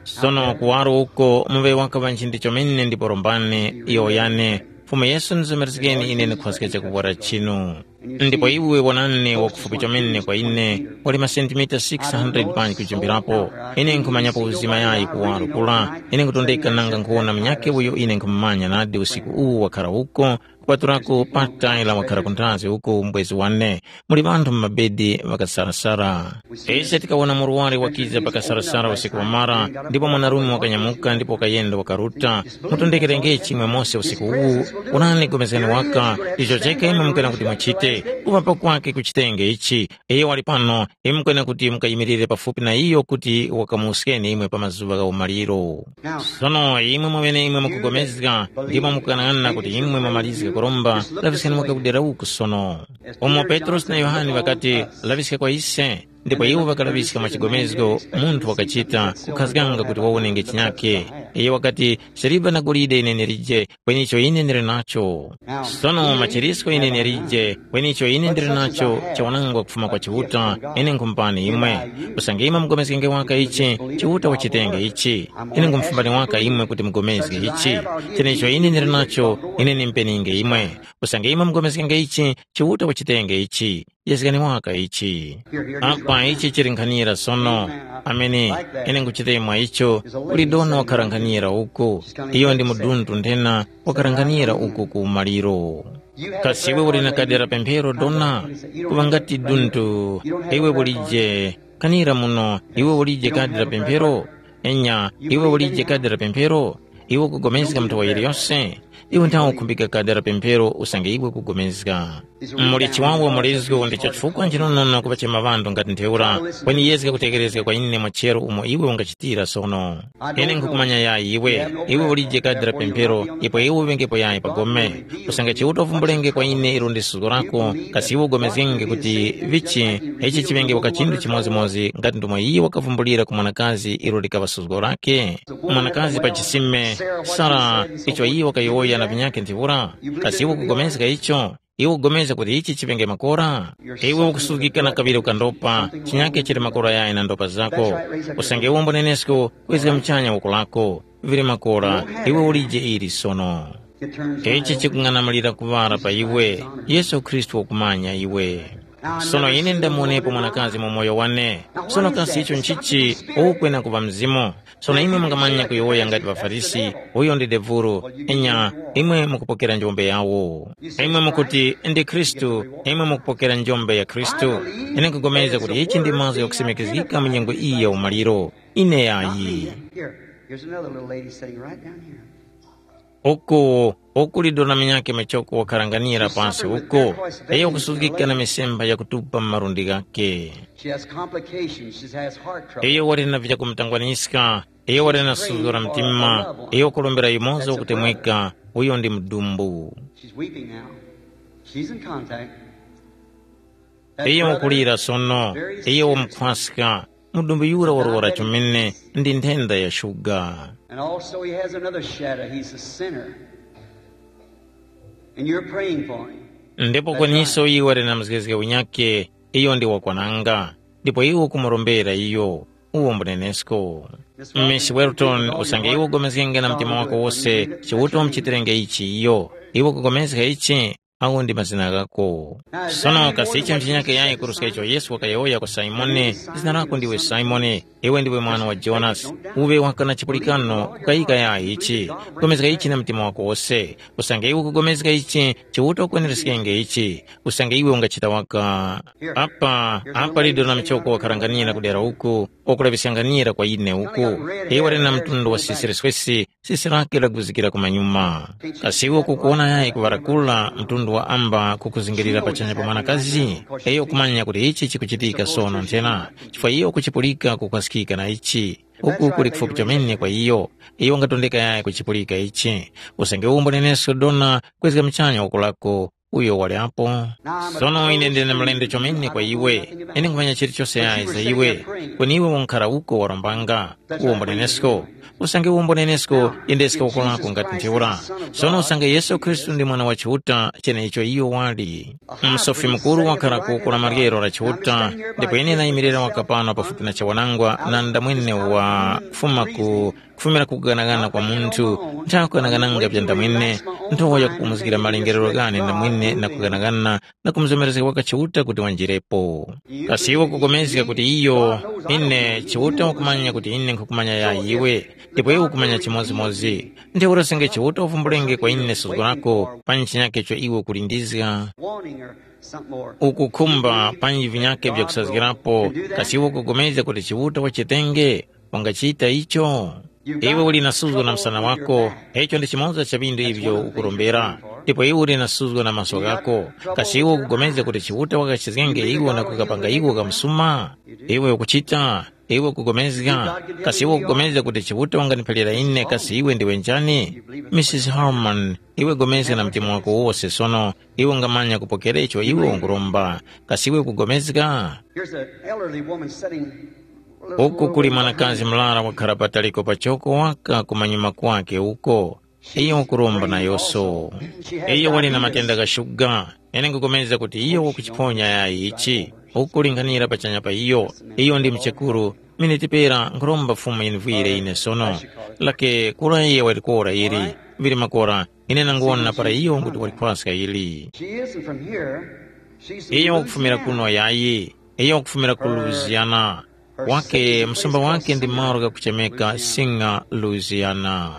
Sono kuwaro uko muŵe waka ŵa nchindi chomene ndipo rombani, yowoyani, Fumu Yesu ndizomerezgeni ine nikhwaske chakuvwara chinu. Ndipo iwe wonani wakufupi chomene kwa ine, wali masentimita six hundred panji kujumbirapo. Ine nkhumanyapo uzima yayi kuwaro kula. Ine nkutondeka nanga nkhuwona munyakhe uyo ine nkhumumanya nadi usiku uwu wakhara uko, kupatulako pa Tyler wakhara kunthazi uko mbwezi wane. Muli ŵanthu mu mabedi ŵakasarasara. Ise tikawona murwari wakiza pakasarasara usiku wamara, ndipo mwanarume wakanyamuka ndipo wakayenda wakaruta. Mutondekerengechi imwe mose usiku uwu, wonani gomezgani waka, icho cheka imwe mukwena kuti muchite, kuŵapa kwake kuchitenge ichi. Iyo wali pano, imwe mukwena kuti mukayimirire pafupi na iyo kuti wakamuwuskeni imwe pa mazuŵa gha umaliro. Sono imwe mweneimwe mukugomezga, ndipo mukughanaghana kuti imwe mwamalizga kuromba, laŵiskani waka kudera uku sono. Umo Petrosi na Yohane ŵakati, “Laŵiska kwa ise,” ndipo iwo ŵakalaŵiska mwa chigomezgo, munthu wakachita, kukhazganga kuti wawonenge chinyakhe. Iyo wakati, “Siliva na golide ine ndilije, kweni icho ine ndili nacho. Sono machirisko ine ndilije, kweni icho ine ndili nacho chawanangwa kufuma kwa Chiuta, ine nkhumupani imwe. Usange imwe mugomezgenge waka ichi, Chiuta wachitenge ichi. Ine nkhumufumbani waka imwe kuti mugomezge ichi. Cheneicho ine ndili nacho, ine nimpeninge imwe. Usange imwe mugomezgenge ichi, Chiuta wachitenge ichi. Yezgani waka ichi. Apa ichi chili nkhanira sono. Amene, ine nkuchita mwa icho, kuli dona wakhara nkhanira uku. Iyo ndi mudundu nthena wakhara nkhanira uku ku maliro. Kasi iwe uli na kadi la pemphero dona? Kuŵa ngati dundu, iwe ulije. Kanira muno, iwe ulije kadi la pemphero? Enya, iwe ulije kadi la pemphero? Iwe ukugomezga nthowa yiliyose? Iwe nthawe ukhumbika kadi la pemphero usange iwe ukugomezga. Muli chiwawa mulizgo ndicho chifukwa nchinonono kuŵachema ŵanthu ngati ntheura, kweni yezga kutekerezga kwa ine mwachero umo iwe ungachitira sono. Ine nkhukumanya yayi iwe, iwe ulije kadi la pemphero, ipo iwe uŵengepo yayi pa gome. Usange Chiuta uvumbulenge kwa ine ilo ndi suzgo lako, kasi iwe ugomezgenge kuti vichi ichi chiŵenge waka chinthu chimodzimodzi ngati ndomwe iyo wakavumbulira ku mwanakazi ilo likaŵa suzgo lake? Mwanakazi pa chisime, Sara, icho iyo wakayowoya na vinyakhe ntheura, kasi iwe ukugomezga icho? Iwe ukugomezga kuti ichi chiŵenge makora? Iwe ukusuzgika na kaŵiri ukandopa, chinyakhe chili makora yayi na ndopa zako. Usange iwe umbonenesko, kwezga muchanya woko lako, vili makora, iwe ulije ili sono. Ichi chikung'anamulira kuŵala pa iwe, Yesu Khristu wakumanya iwe. Sono ine ndamuonepo mwanakazi mu moyo wane. Sono kasi icho nchichi ukwena kuŵa mzimu? Sono imwe mungamanya kuyowoya ngati ŵaFarisi, uyo ndi devuro, enya imwe mukupokera njombe yawo. Imwe mukuti ndi Khristu, imwe mukupokera njombe ya Khristu. Ine nkupulikana kuti ichi ndi mazgu ghakusimikizgika mu nyengo iyi ya umaliro. Ine yayi. Here, here's another little lady sitting right down here. Uku, uku lidona munyakhe machoko wakhalanganira pansi uko, iyo kusuzgika na misemba yakutupa mu malundi ghakhe. She has complications. She has heart trouble. Iyo wali na vyakumutangwaniska, iyo wali na suzgo la mtima, iyo kulombera yumoza wakutemweka, uyo ndi mudumbu. She's weeping now. She's in contact. Iyo wakulira sono, iyo wamukhwaska, mudumbu yura warwara chomene ndi nthenda ya shuga. And also he has another shadow. He's a sinner. And you're praying for him. Ndipo kweniso iwe wali na mzgezge unyakhe, iyo ndi wakwananga, ndipo iwe ukumurombera iyo, uwo mbunenesko. Miss Welton, usange iwe ugomezgenge na mtima wako wose, Chiuta umuchitirenge ichi iyo. Iwe ukugomezga ichi? awo ndi mazina ghako. Sono kasi icho nchinyake yayi kuruska icho Yesu wakayowoya kwa Simoni, zina lako ndiwe Simoni, iwe ndiwe mwana wa Jonasi, uwe waka na chipulikano kukayika yayi ichi, pulikana ichi na mtima wako wose, usange iwe ukugomezga ichi, Chiuta ukweneriskenge ichi, usange iwe ungachita waka. Apa, apa lido na mchoko wakharanganira kudera uku, wakulaŵiskanganira kwa ine uku. Iwe wali na mtundu wa sisi liswesi, sisi lake laguzikira kumanyuma. Kasi iwe ukukuwona yayi kuŵarakula mtundu wa amba kukuzingirira pachanya pa mwanakazi? Iyo ukumanya kuti ichi chikuchitika sono nthena, chifukwa iyo ukuchipulika kukhwaskika na ichi. Uku kuli kufupi chomene kwa iyo. Iyo ungatondeka yayi kuchipulika ichi. Usange uwomboneneso dona kwezga muchanya woko lako, uyo wali apo. Sono ine ndine mlendo chomene kwa iwe. Ine nkhumanya chilichose yayi za iwe. Kweni iwe unkhara uko warombanga. Uwombonenesko. Usange uwombonenesko, yendeska uko lako ngati ntheura. Sono usange Yesu Khristu ndi mwana wa Chiuta, cheneicho iyo wali. Msofi mukuru wakhala ku kula maryero la Chiuta, ndipo ine nayimirira waka pano pafupi na chawanangwa na ndamwene wa kufuma ku kufumira ku kuganagana kwa munthu, nthawe kuganagana vya ndamwene, nthowa yakupumuzgira malengerero ghane ndamwene na kuganagana na kumuzomerezga waka Chiuta kuti wanjirepo. Kasi iwe ukupulikana kuti iyo, ine Chiuta ukumanya kuti ine nkhukumanya ya iwe, ndipo iwe ukumanya chimodzimodzi. Ntheura usange Chiuta uvumbulenge kwa ine suzgo lako, panji chinyake icho iwe ukulindizga, ukukhumba panji vinyake vyakusazgirapo, kasi iwe ukupulikana kuti Chiuta wachitenge? Wangachita icho? Iwe uli na suzgo na msana wako, icho ndi chimoza cha vindu ivyo ukurombera, ndipo iwe uli na suzgo na maso ghako. Kasi iwe ukupulikana kuti Chiuta wakachizgenge iwo na kukapanga iwo kamsuma? Iwe ukuchita, iwe ukupulikana, kasi iwe ukupulikana kuti Chiuta wanganiphalira ine kasi iwe ndiwe njani? Misisi Harmon, iwe pulikana na mtima wako wose sono, iwe ungamanya kupokera icho iwe unguromba. Kasi iwe ukupulikana? Here's an elderly woman sitting a little Uku kuli mwanakazi mlara wakhara pataliko pachoko waka kumanyuma kwake uko. Iyo wakuromba nayoso. Iyo wali na matenda gha shuga. Ine ngukomeza kuti iyo wakuchiphonya yayi ichi. Ukulinganira pachanya pa iyo. Iyo ndi mchekuru. Miniti pera nkhuromba Fumu yinivwire ine sono. Lake kura iye walikora ili. Vili makora, ine nanguwona para iyo kuti walikhwaska ili. She isn't from here. She's from Iyo wakufumira Louisiana. Kuno yayi. Iyo wakufumira ku Louisiana. Wake msumba wake ndi malo ghakuchemeka Singer, Louisiana.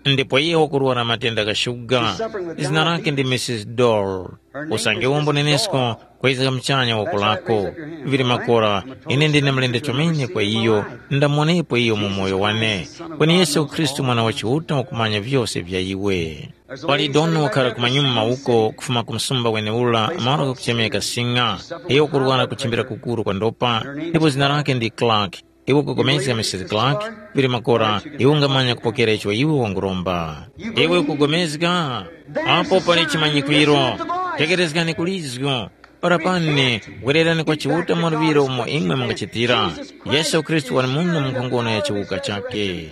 Ndipo iye wakurwara matenda gha shuga. Zina lake ndi Missus Dole. Usange umbonenesko kwezeka mchanya woko lako. Vili makora, ine ndine mlende chomene kwa iyo. Ndamuonepo iyo mu moyo wane. Kweni Yesu Khristu mwana wa Chiuta wakumanya vyose vya iwe. Pali doni wakhara kumanyuma uko kufuma ku msumba weneura, malo ghakuchemeka Singer. Iyo ukurwara kuchimbira kukuru kwa ndopa, ndipo zina lake ndi Clark. Iwe ukupulikana Missus Clark? Vili makora, iwe ungamanya kupokera icho iwe wanguromba. Iwe ukupulikana? Apo pali chimanyikwiro. Tekerezgani kulizgo. Para pane, wererani kwa Chiuta mwaluŵiro umo imwe mungachitira. Yesu Khristu wali muno mu nkhongono ya chiwuka chake.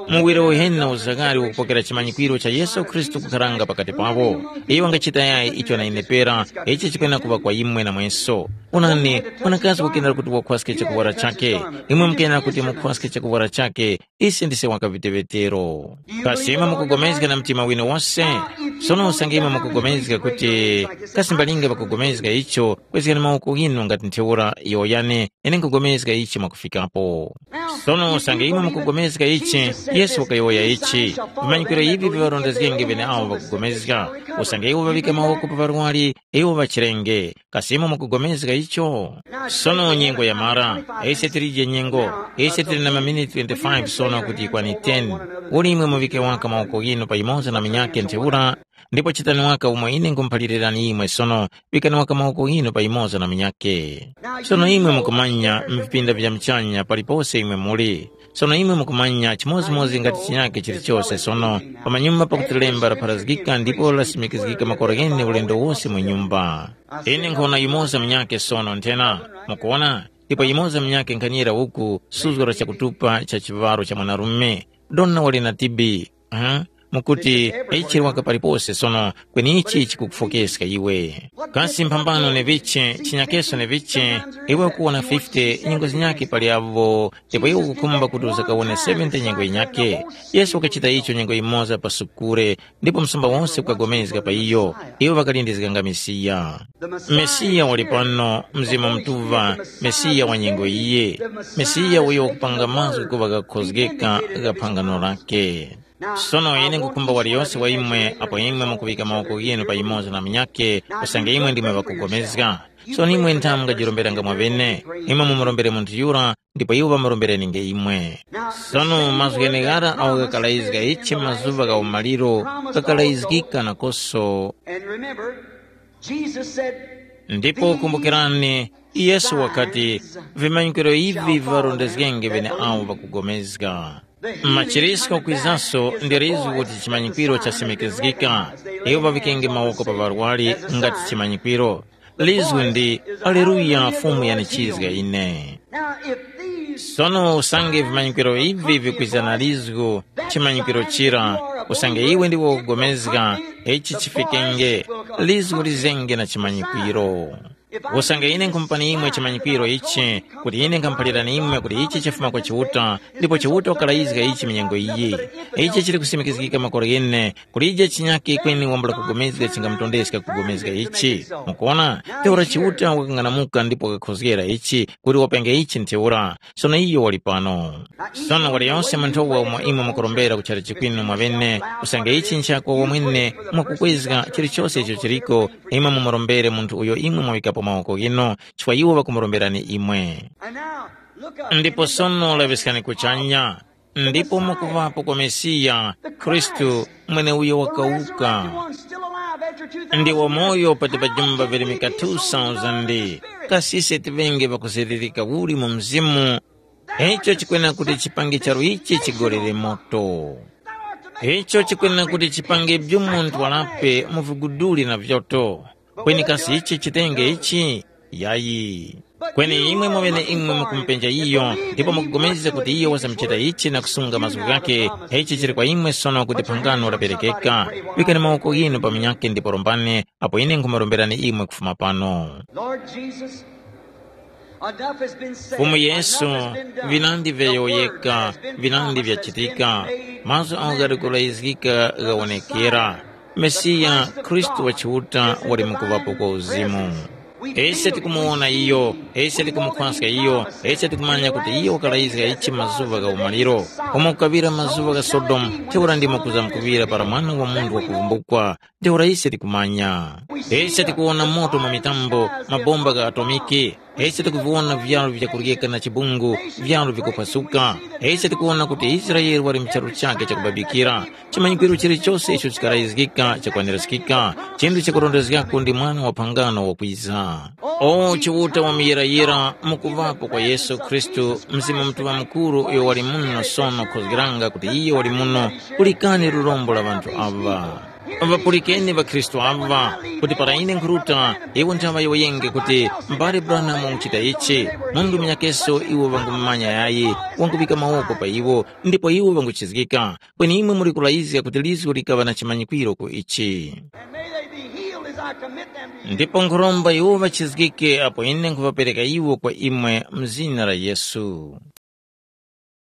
Muwiro uheni na uzakari ukupokera chimanyikwiro cha Yesu Khristu kukharanga pakati pawo. Iyo wangachita yayi icho na ine pera, ichi chikwena kuŵa kwa imwe na mweso. Onani, mwanakazi wakenera kuti wakhwaske chakuwara chake. Imwe mukenera kuti mukhwaske chakuwara chake. Ise ndise wakavetevetero. Kasi imwe mukugomezga na mtima winu wose? Sono usange imwe mukugomezga kuti kasi mbalinga pakugomezga icho, kwezgani mawoko ghinu ngati ntheura yowoyani, ine nkugomezga ichi mwakufikapo. Sono usange imwe mukugomezga ichi, Yesu wakayowoya ichi, vimanyikwiro ivi viŵarondezgenge ŵeneawo ŵakugomezga. Usange iwo ŵaŵika mawoko pa ŵarwari, iwo ŵachirenge. Kasi imwe mukugomezga icho? Sono nyengo yamara, ise tilije nyengo, ise tili na maminiti twenty-five sono kuti yikwane ten. Uli imwe muŵike waka mawoko ghinu pa yumoza na munyakhe ntheura, ndipo chitani waka umo ine nkhumuphalirani imwe sono, ŵikani waka mawoko ghinu pa yumoza na munyakhe. Sono imwe mukumanya m'vipinda vya muchanya palipose imwe muli. Sono imwe mukumanya chimodzimodzi ngati chinyakhe chilichose sono, pamanyuma pakuti lemba lapharazgika ndipo lasimikizgika makora ghene ulendo wose mu nyumba. Ine nkhona yumoza munyakhe sono nthena, mukuwona? Ndipo yumoza munyakhe nkhanira uku suzgo la chakutupa cha chiŵaro cha mwanarume. Dona wali na T B. Huh? Mukuti ichi waka palipose sono, kweni ichi chikukufokeska iwe. Kasi mphambano neviche, chinyakeso neviche, iwe ukuwona fifty nyengo zinyakhe pali avo, ndipo iwe ukukhumba kuti uzakawone seventy nyengo yinyakhe. Yesu wakachita icho nyengo yimoza pa sukure, ndipo msumba wose ukagomezga pa iyo. Iwo ŵakalindizganga Mesiya. Mesiya wali pano, Mzimu Mutuŵa, Mesiya wa nyengo iye, Mesiya uyo wakupanga mazgu kuŵa ghakhozgeka gha phangano lake. Sono ine nkukhumba waliyose wa imwe apo imwe mukuŵika mawoko ghinu pa yumoza na munyakhe, usange imwe ndimwe ŵakugomezga. Sono imwe nthamu mungajiromberanga mwaŵene, imwe mumurombere munthu yura, ndipo iwo ŵamurombereninge imwe. Sono mazgu gheneghara agho ghakalayizga ichi mazuŵa gha umaliro, ghakalayizgika nakoso. And remember, Jesus said, Ndipo kumbukirani, Yesu wakati, vimanyikiro ivi viŵarondezgenge ŵeneawo ŵakugomezga. Machirisko kwizaso ndi lizgu kuti chimanyikwiro chasimikizgika. Iwo ŵaŵikenge mawoko pa ŵarwari ngati chimanyikwiro. Lizgu ndi, Aleluya, Fumu yanichizga ine. Now, if these Sono usange vimanyikiro ivi vikwiza na lizgu, chimanyikwiro chira, usange iwe ndiwe ukugomezga, ichi chifikenge, lizgu lizenge na chimanyikwiro. Usange ine nkhumupani imwe chimanyikwiro ichi, kuti ine nkhamuphalirani imwe kuti ichi chifuma kwa Chiuta, ndipo Chiuta wakalayizga ichi minyengo iyi. Ichi chili kusimikizgika makora ghene, kulije chinyakhe kweni wambula kugomezga chingamutondeska kugomezga ichi. Mukuona, ntheura Chiuta wakang'anamuka ndipo wakakhozgera ichi, kuti wapenge ichi ntheura. Sono iyo wali pano. Sono waliyonse munthuwa umo imwe mukurombera kuchara chikwinu mwaŵene, usange ichi nchakwa wamwene mwakukwezga chilichose icho chiliko, imwe mumurombere munthu uyo imwe mwawikapo mawoko ghinu, chifukwa iwo ŵakumuromberani imwe. And now, look up. Ndipo sono laŵiskani kuchanya, ndipo mukuŵapo kwa Mesiya, Khristu, mweneuyo wakawuka. Ndi wamoyo pati pa jumba virimika two thousand. Kasi ise tiŵenge ŵakuziririka uli mu mzimu? Icho chikwena kuti chipange charu ichi chigolere moto. Icho chikwena kuti chipange byumu ntwarape mu viguduli na vyoto. Kweni kasi ichi chitenge ichi? Yayi. Kweni imwe mwamene imwe mukumupenja iyo, ndipo mukupulikana kuti iyo wazamuchita ichi na kusunga mazgu ghakhe, ichi chili kwa imwe sono kuti phangano laperekeka. Pikani mawoko ghinu pa munyakhe ndipo rombani, apo ine nkhumuromberani imwe kufuma pano. Lord Jesus, enough has been said. Fumu Yesu, enough has been done. Vinandi vyayowoyeka, vinandi vyachitika, mazgu agho ghali kulayizgika ghawonekera. Mesiya, Khristu wa Chiuta, wali mukuŵapo kwa uzimu. Ise tikumuwona iyo, ise tikumukhwaska iyo, ise tikumanya kuti iyo wakalayizga ichi mazuŵa gha umaliro. Umo kukaŵira mazuŵa gha Sodomu, ntheura ndimo kuzamkuŵira para Mwana wa Munthu wakuvumbukwa. Ntheura ise tikumanya. Ise tikuwona moto mwa mitambo, mabomba gha atomiki. Ise tikuviwona vyalu vyakuryeka na chibungu, vyalu vikuphwasuka. Ise tikuwona kuti Israele wali mu charu chakhe chakubabikira. Chimanyikwiro chilichose icho chikalayizgika chakwanirizgika, chinthu chakurondezgako ndi mwana wa phangano wakwiza. O Chiuta wa muyirayira, mukuŵapo kwa Yesu Khristu, Mzimu Mutuŵa Mukuru uyo wali muno sono khozgeranga kuti iyo wali muno, pulikani lurombo la ŵanthu aŵa. Ŵapulikeni ŵakhristu aŵa, kuti para ine nkhuruta, iwo nthaŵa yiwoyenge kuti, mbale Branham wakuchita ichi, mundu munyakeso iwo ŵangumumanya yayi, wanguŵika mawoko pa iwo, ndipo iwo ŵanguchizgika. Kweni imwe muli kulayizga kuti lizgu likaŵa na chimanyikwiro ku ichi. And may they be healed as I commit them to you. Ndipo nkhuromba iwo ŵachizgike apo ine nkhuŵapereka iwo kwa imwe mu zina la Yesu.